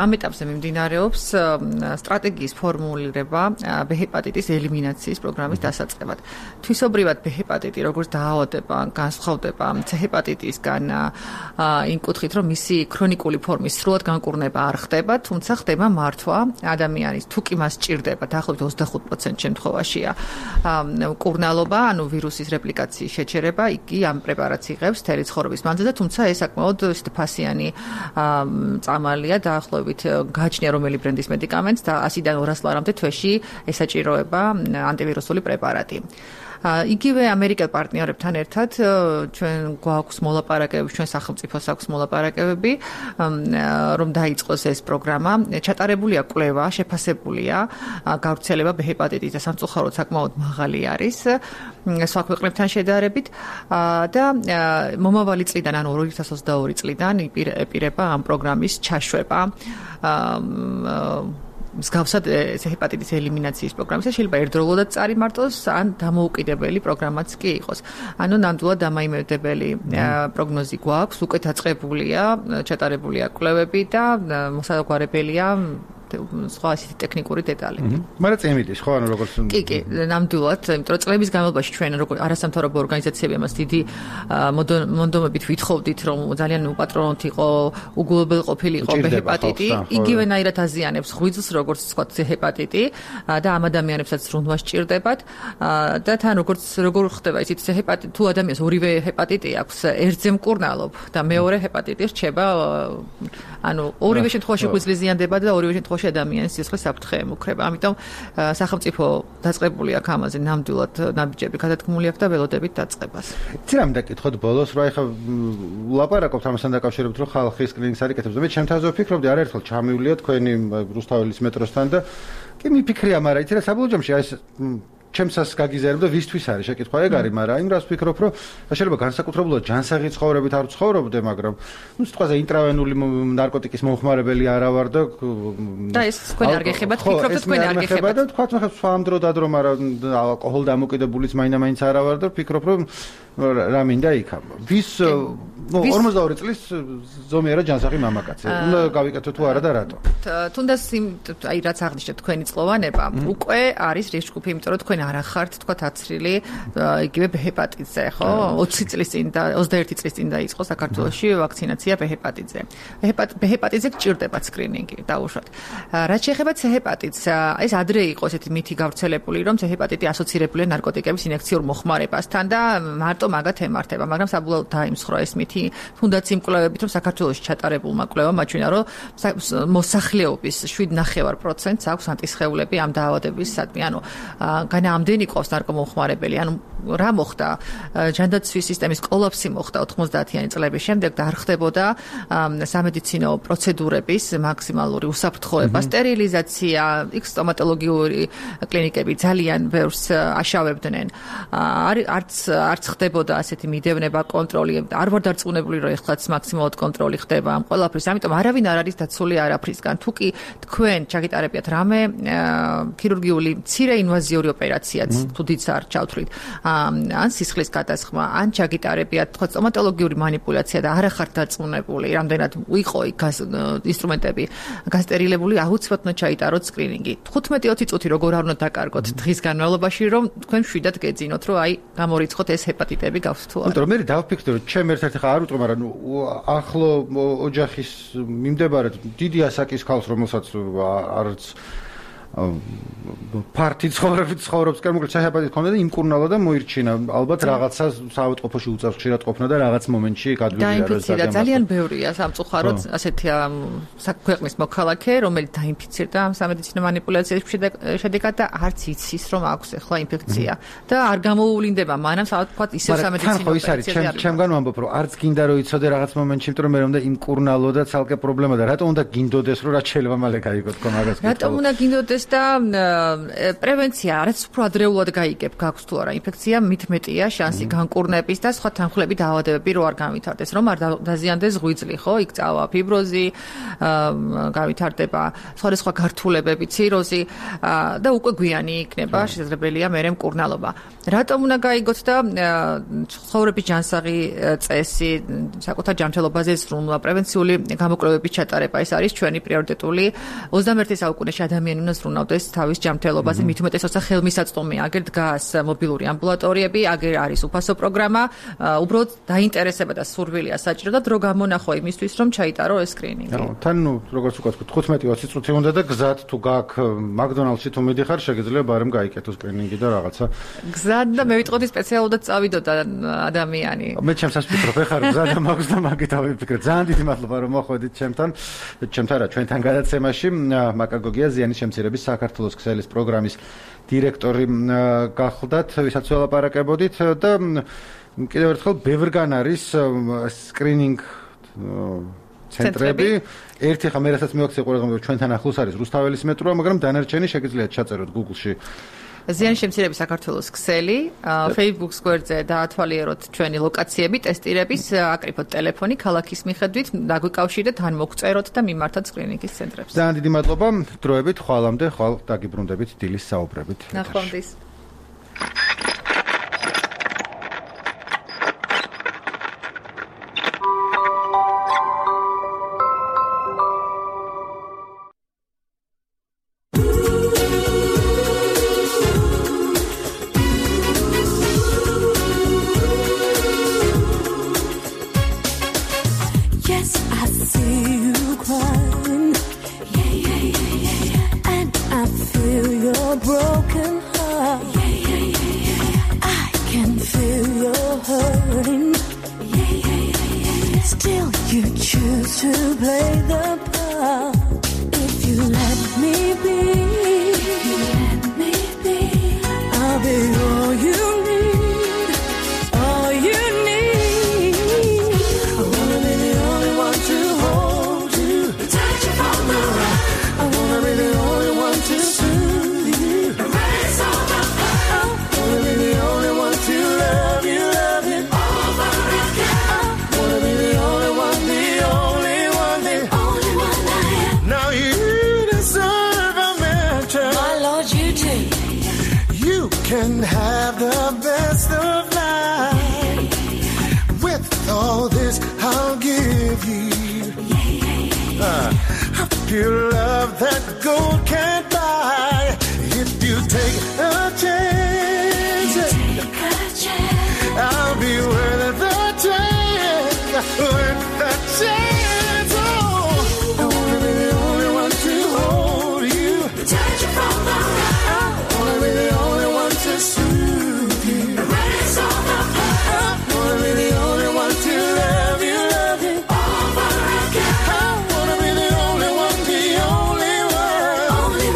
ამ ეტაპზე მიმდინარეობს სტრატეგიის ფორმულირება B ჰეპატიტის ელიმინაციის პროგრამის დასაწყებად. თვისობრივად B ჰეპატიტი როგორც დაავადება განსხვავდება C ჰეპატიტისგან იმ კუთხით, რომ მისი ქრონიკული ფორმის სრულად განკურნება არ ხდება, თუმცა ხდება მართვა ადამიანის თუ კი მას ჭირდება, დაახლოებით ოცდახუთ პროცენტ შემთხვევაშია მკურნალობა, ანუ ვირუსის რეპლიკაციის შეჩერება, იგი ამ პრეპარატს იღებს მთელი ცხოვრების მანძილზე, თუმცა ეს საკმაოდ ფასიანი წამალია, დაახლოებით გააჩნია რომელი ბრენდის მედიკამენტს და ასიდან ორას ლარამდე თვეში ესაჭიროება ანტივირუსული პრეპარატი. იგივე ამერიკელ პარტნიორებთან ერთად ჩვენ გვაქვს მოლაპარაკებები, ჩვენ სახელმწიფოს აქვს მოლაპარაკებები, რომ დაიწყოს ეს პროგრამა. ჩატარებულია კვლევა, შეფასებულია გავრცელება B ჰეპატიტის და სამწუხაროდ საკმაოდ მაღალი არის სხვა ქვეყნებთან შედარებით და მომავალი წლიდან, ანუ ორი ათას ოცდაორი წლიდან აპირება ამ პროგრამის ჩაშვება. მსგავსად ჰეპატიტის ელიმინაციის პროგრამისა შეიძლება ერთდროულად წარიმარტოს ან დამოუკიდებელი პროგრამაც კი იყოს. ანუ ნამდვილად დამაიმედებელი პროგნოზი გვაქვს, უკვე დაწყებულია, ჩატარებულია კვლევები და მოსაგვარებელია სხვა ასეთი ტექნიკური დეტალები. მაგრამ წემიდის ხო ანუ როგორც კი კი ნამდვილად, იმიტომ რომ წლების განმავლობაში ჩვენ როგორც არასამთავრობო ორგანიზაციები ამას დიდი მონდომებით ვითხოვდით, რომ ძალიან უპატრონოთ იყო, უგულებელყოფილი იყო B ჰეპატიტი, იგივენაირად აზიანებს ღვიძლს, როგორც სხვა C ჰეპატიტი და ამ ადამიანებსაც რუნვა სჭირდებათ და თან როგორც როგორ ხდება ისიც C ჰეპატიტი, თუ ადამიანს ორივე ჰეპატიტი აქვს, ერთზე მკურნალობ და მეორე ჰეპატიტი რჩება, ანუ ორივე შემთხვევაში ღვიძლი ზიანდება და ორივე შემთხვევაში ადამიანის სისხლის საფრთხე ემუქრება. ამიტომ სახელმწიფო დაწყებული აქვს ამაზე ნამდვილად ნაბიჯები გადადგმული აქვს და ველოდებით დაწყებას. იცი რამ დაკითხოთ ბოლოს, რა ეხა ლაპარაკობთ ამასთან დაკავშირებით, რომ ხალხი სკრინინგს არ იკეთებს და მე ჩემ თავზე ვფიქრობდი არაერთხელ ჩამივლია თქვენი რუსთაველის მეტროსთან და კი მიფიქრია, მაგრამ იცი რა საბოლოო ჯამში აი ეს ჩემსას გაგიზიარებ და ვისთვის არის შეკითხვა ეგ არის, მაგრამ იმ რას ვფიქრობ, რომ შეიძლება განსაკუთრებულად ჯანსაღი ცხოვრებით არ ვცხოვრობდე, მაგრამ ნუ სიტყვაზე ინტრავენული ნარკოტიკის მომხმარებელი არა ვარ და და ეს თქვენ არ გეხებათ, ფიქრობთ თქვენ არ გეხებათ და თქვა თქვა სხვა ამ დრო დადრო, მაგრამ ალკოჰოლ დამოკიდებულიც მაინდა-მაინც არა ვარ და ვფიქრობ, რომ რა მინდა იქა. ვის ნუ ორმოცდაორი წლის ზომიერად ჯანსაღი მამაკაცი. უნდა გავიკეთო თუ არა და რატო? თუნდაც აი რაც აღნიშნეთ თქვენი წყლოვანება, უკვე არის რისკი, იმიტომ რომ თქვენ არ ახართ თქვა აცრილი იგივე B ჰეპატიტზე, ხო? ოცი წლის წინ და ოცდაერთი წლის წინ დაიწყო საქართველოში ვაქცინაცია B ჰეპატიტზე. B ჰეპატიტზე გჭირდება სკრინინგი, დაუშვათ. რაც შეეხება C ჰეპატიტს, ეს ადრე იყო ესეთი მითი გავრცელებული, რომ C ჰეპატიტი ასოცირებულია ნარკოტიკების ინექციურ მოხმარებასთან და მარტო მაგათ ემართება, მაგრამ საბოლოოდ დაიმსხვრა ეს მითი, თუნდაც იმ კვლევებით, რომ საქართველოში ჩატარებულმა კვლევამ აჩვენა, რომ მოსახლეობის შვიდ ნახევარ პროცენტს აქვს ანტისხეულები ამ დაავადებისადმი, ანუ ამდენი ყავს ნარკომომხმარებელი, ანუ რა მოხდა? ჯანდაცვის სისტემის კოლაფსი მოხდა ოთხმოცდაათიანი წლების შემდეგ და არ ხდებოდა სამედიცინო პროცედურების მაქსიმალური უსაფრთხოება, სტერილიზაცია, იქ სტომატოლოგიური კლინიკები ძალიან ბევრს აშავებდნენ. არც არც ხდება ხდებოდა ასეთი მიდევნება, კონტროლი, არ ვარ დარწმუნებული, რომ ეხლაც მაქსიმალურად კონტროლი ხდება ამ ყველაფრის, ამიტომ არავინ არ არის დაცული არაფრისგან. თუ კი თქვენ ჩაგიტარებიათ რამე ქირურგიული მცირე ინვაზიური ოპერაციაც, თუ დიდს არ ჩავთვლით, ან სისხლის გადასხმა, ან ჩაგიტარებიათ ხო სტომატოლოგიური манипуляცია და არ ახართ დარწმუნებული, რამდენად იყო იქ ინსტრუმენტები გასტერილებული, აუცილებლად უნდა ჩაიტაროთ სკრინინგი. თხუთმეტი ოცი წუთი როგორ არ უნდა დაკარგოთ დღის განმავლობაში, რომ თქვენ მშვიდად გეძინოთ, რომ აი გამორიცხოთ ეს ჰეპატიტები გავს თუ არა. იმიტომ რომ მე დავფიქრე, რომ ჩემ ერთ-ერთი ხა არ ვიტყვი, მაგრამ ახლო ოჯახის მიმდებარედ დიდი ასაკის ქალს, რომელსაც არც ფართი ცხოვრებით ცხოვრობს, კერმოკლე ჰეპატიტი ქონდა და იმკურნალა და მოირჩინა. ალბათ რაღაცა საავადმყოფოში უწევს ხშირად ყოფნა და რაღაც მომენტში გადვიდია რა ზოგადად. ძალიან ბევრია სამწუხაროდ ასეთი საქვეყნის მოქალაქე, რომელიც დაინფიცირდა ამ სამედიცინო манипуляციების შედეგად და არც იცის, რომ აქვს ახლა ინფექცია და არ გამოუვლინდება მანამ საავადმყოფოდ ისევ სამედიცინო ოპერაციაზე. ჩემგან ვამბობ, რომ არც გინდა რომ იცოდე რაღაც მომენტში, იმიტომ რომ მე რომ და იმკურნალო და ცალკე პრობლემა და რატომ უნდა გინდოდეს, რომ რაც შეიძლება მალე გაიგო თქო მაგას კითხავ. რატომ უნდა გინდოდეს და პრევენცია რაც უფრო ადრეულად გაიგებ გაქვს თუ არა ინფექცია მით მეტია შანსი განკურნების და სხვა თანხმლები დაავადებები რო არ გავითარდეს რომ არ დაზიანდეს ღვიძლი ხო იქ წავა ფიბროზი გავითარდება სხვადასხვა გართულებები ციროზი და უკვე გვიანი იქნება შესაძლებელია მერე მკურნალობა რატომ უნდა გაიგოთ და ცხოვრების ჯანსაღი წესი საკუთარ ჯანმრთელობაზე ზრუნვა პრევენციული გამოკვლევების ჩატარება ეს არის ჩვენი პრიორიტეტული ოცდამეერთე საუკუნეში ადამიანი უნდა ზრუნავდეს თავის ჯანმრთელობაზე მით უმეტეს როცა ხელმისაწვდომია აგერ დგას მობილური ამბულატორიები აგერ არის უფასო პროგრამა უბრალოდ დაინტერესება და სურვილია საჭირო და დრო გამონახო იმისთვის რომ ჩაიტარო ეს სკრინინგი თან ნუ როგორც უკაც თხუთმეტი ოცი წუთი უნდა და გზად თუ გაქვს მაკდონალდსში თუ მიდიხარ შეგიძლია ბარემ გაიკეთო სკრინინგი და რაღაცა გზად და მე ვიტყოდი სპეციალურად წავიდოდა ადამიანი მე ჩემსაც ვფიქრობ ეხარ გზად მაქვს და მაგით ავიფიქრე ძალიან დიდი მადლობა რომ მოხვედით ჩემთან ჩემთან რა ჩვენთან გადაცემაში მაკა გოგიაზიანი შემცირების საქართველოს ქსელის პროგრამის დირექტორი გახლდათ ვისაც ველაპარაკებოდით და კიდევ ერთხელ ბევრგან არის სკრინინგ ცენტრები ერთი ხა მე რასაც მივაქცე ყურადღება ჩვენთან ახლოს არის რუსთაველის მეტროა მაგრამ დანარჩენი შეგიძლიათ ჩაწეროთ Google-ში ზიანის შემცირების საქართველოს ქსელი Facebook სკვერზე დაათვალიეროთ ჩვენი ლოკაციები ტესტირების აკრიფოთ ტელეფონი ქალაქის მიხედვით დაგვიკავშირდეთ ან მოგწეროთ და მიმართოთ სკრინინგის ცენტრებს ძალიან დიდი მადლობა დროებით ხვალამდე ხვალ დაგიბრუნდებით დილის საუბრებით ნახვამდის Only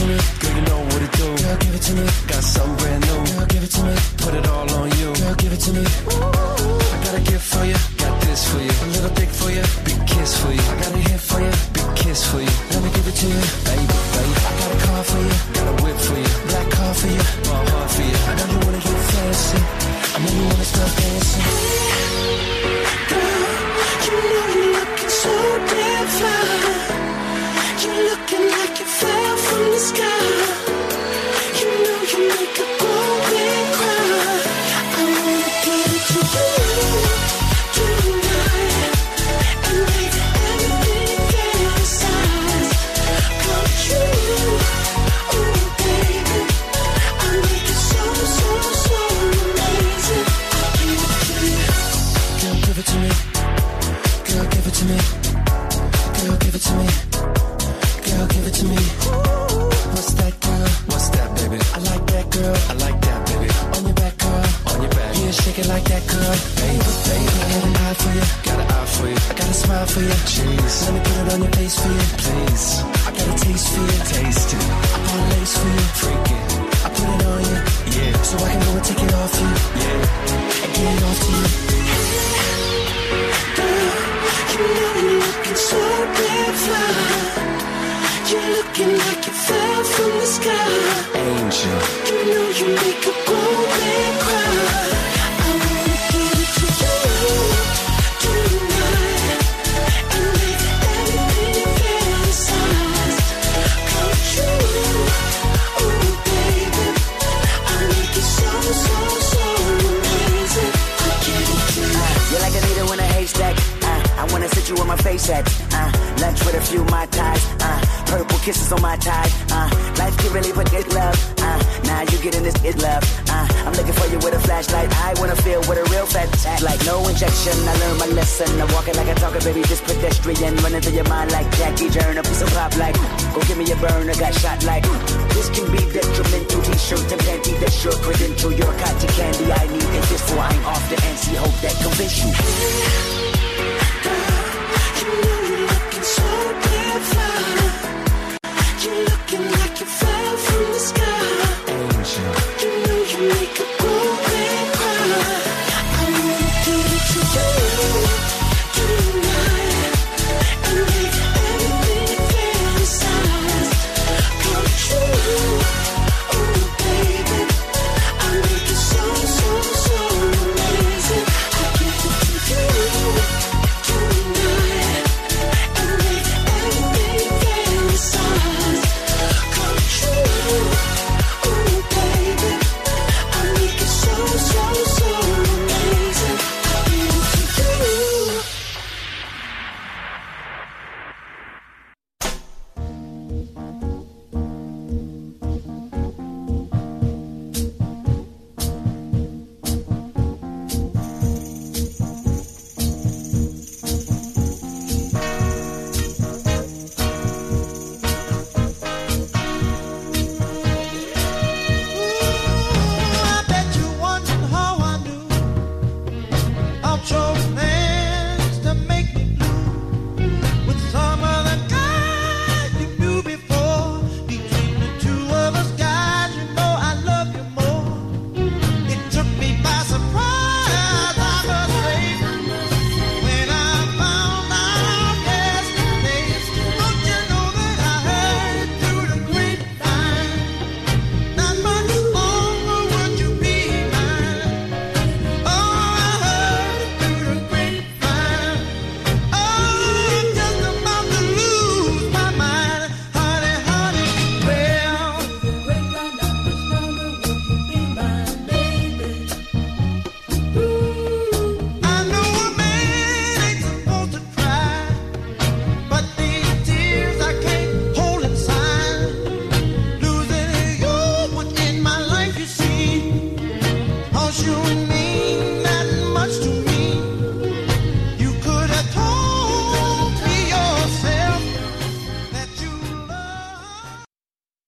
me, girl, you know what to do. Girl, give it to me, got something brand new. Girl, give it to me, put it all on you. Girl, give it to me. Ooh, I got a gift for you, got this for you. A little dick for you, big kiss for you. I got a hit for you, big kiss for you. Let me give it to you, baby, baby. I got a car for you, got a whip for you. Black car for you, my heart for you. I know you wanna get fancy, I know you wanna start dancing. Girl, you know you're looking so damn fly. You're looking like you fell from the sky. You know you make a grown man cry. I wanna give it to you tonight and make everything fantasize come true. Oh baby, I make it so so so amazing. I'll give it to you. Girl, give it to me. Girl, give it to me. Girl, give it to me. Girl, give it to me. What's that, girl? What's that, baby? I like that, girl. I like that, baby. On your back, girl. On your back. Yeah, shake it like that, girl. Baby, baby. I got an eye for you. Got an eye for you. I got a smile for you. Jeez. Let me put it on your face for you. Please. I got a taste for you. Taste it. I bought a lace for you. Freak it. I put it on you. Yeah. So I can go and take it off you. Yeah. And get it off to you. Girl, you know you're looking so damn fly. You're looking like you fell from the sky. Angel. You know you make a grown man cry. I wanna give it to you tonight and make everything fantasize come true. Oh baby, I make it so so so amazing. I give it to you. You're like a needle in a haystack. Uh, I wanna sit you on my face at. Uh, lunch with a few Mai Tais. Uh, purple kisses on my tie. Uh, life can really put it love. Uh, now you getting this it love. Uh, I'm looking for you with a flashlight. I wanna feel what a real fat act like. No injection. I learned my lesson. I'm walking like a talker, baby. This pedestrian running through your mind like Jackie Turner. Piece of pop like. Go give me a burner. Got shot like. This can be detrimental. T-shirt and panty. That's your credential. Your cotton candy. I need it just for I ain't off the N C. Hope that convince you.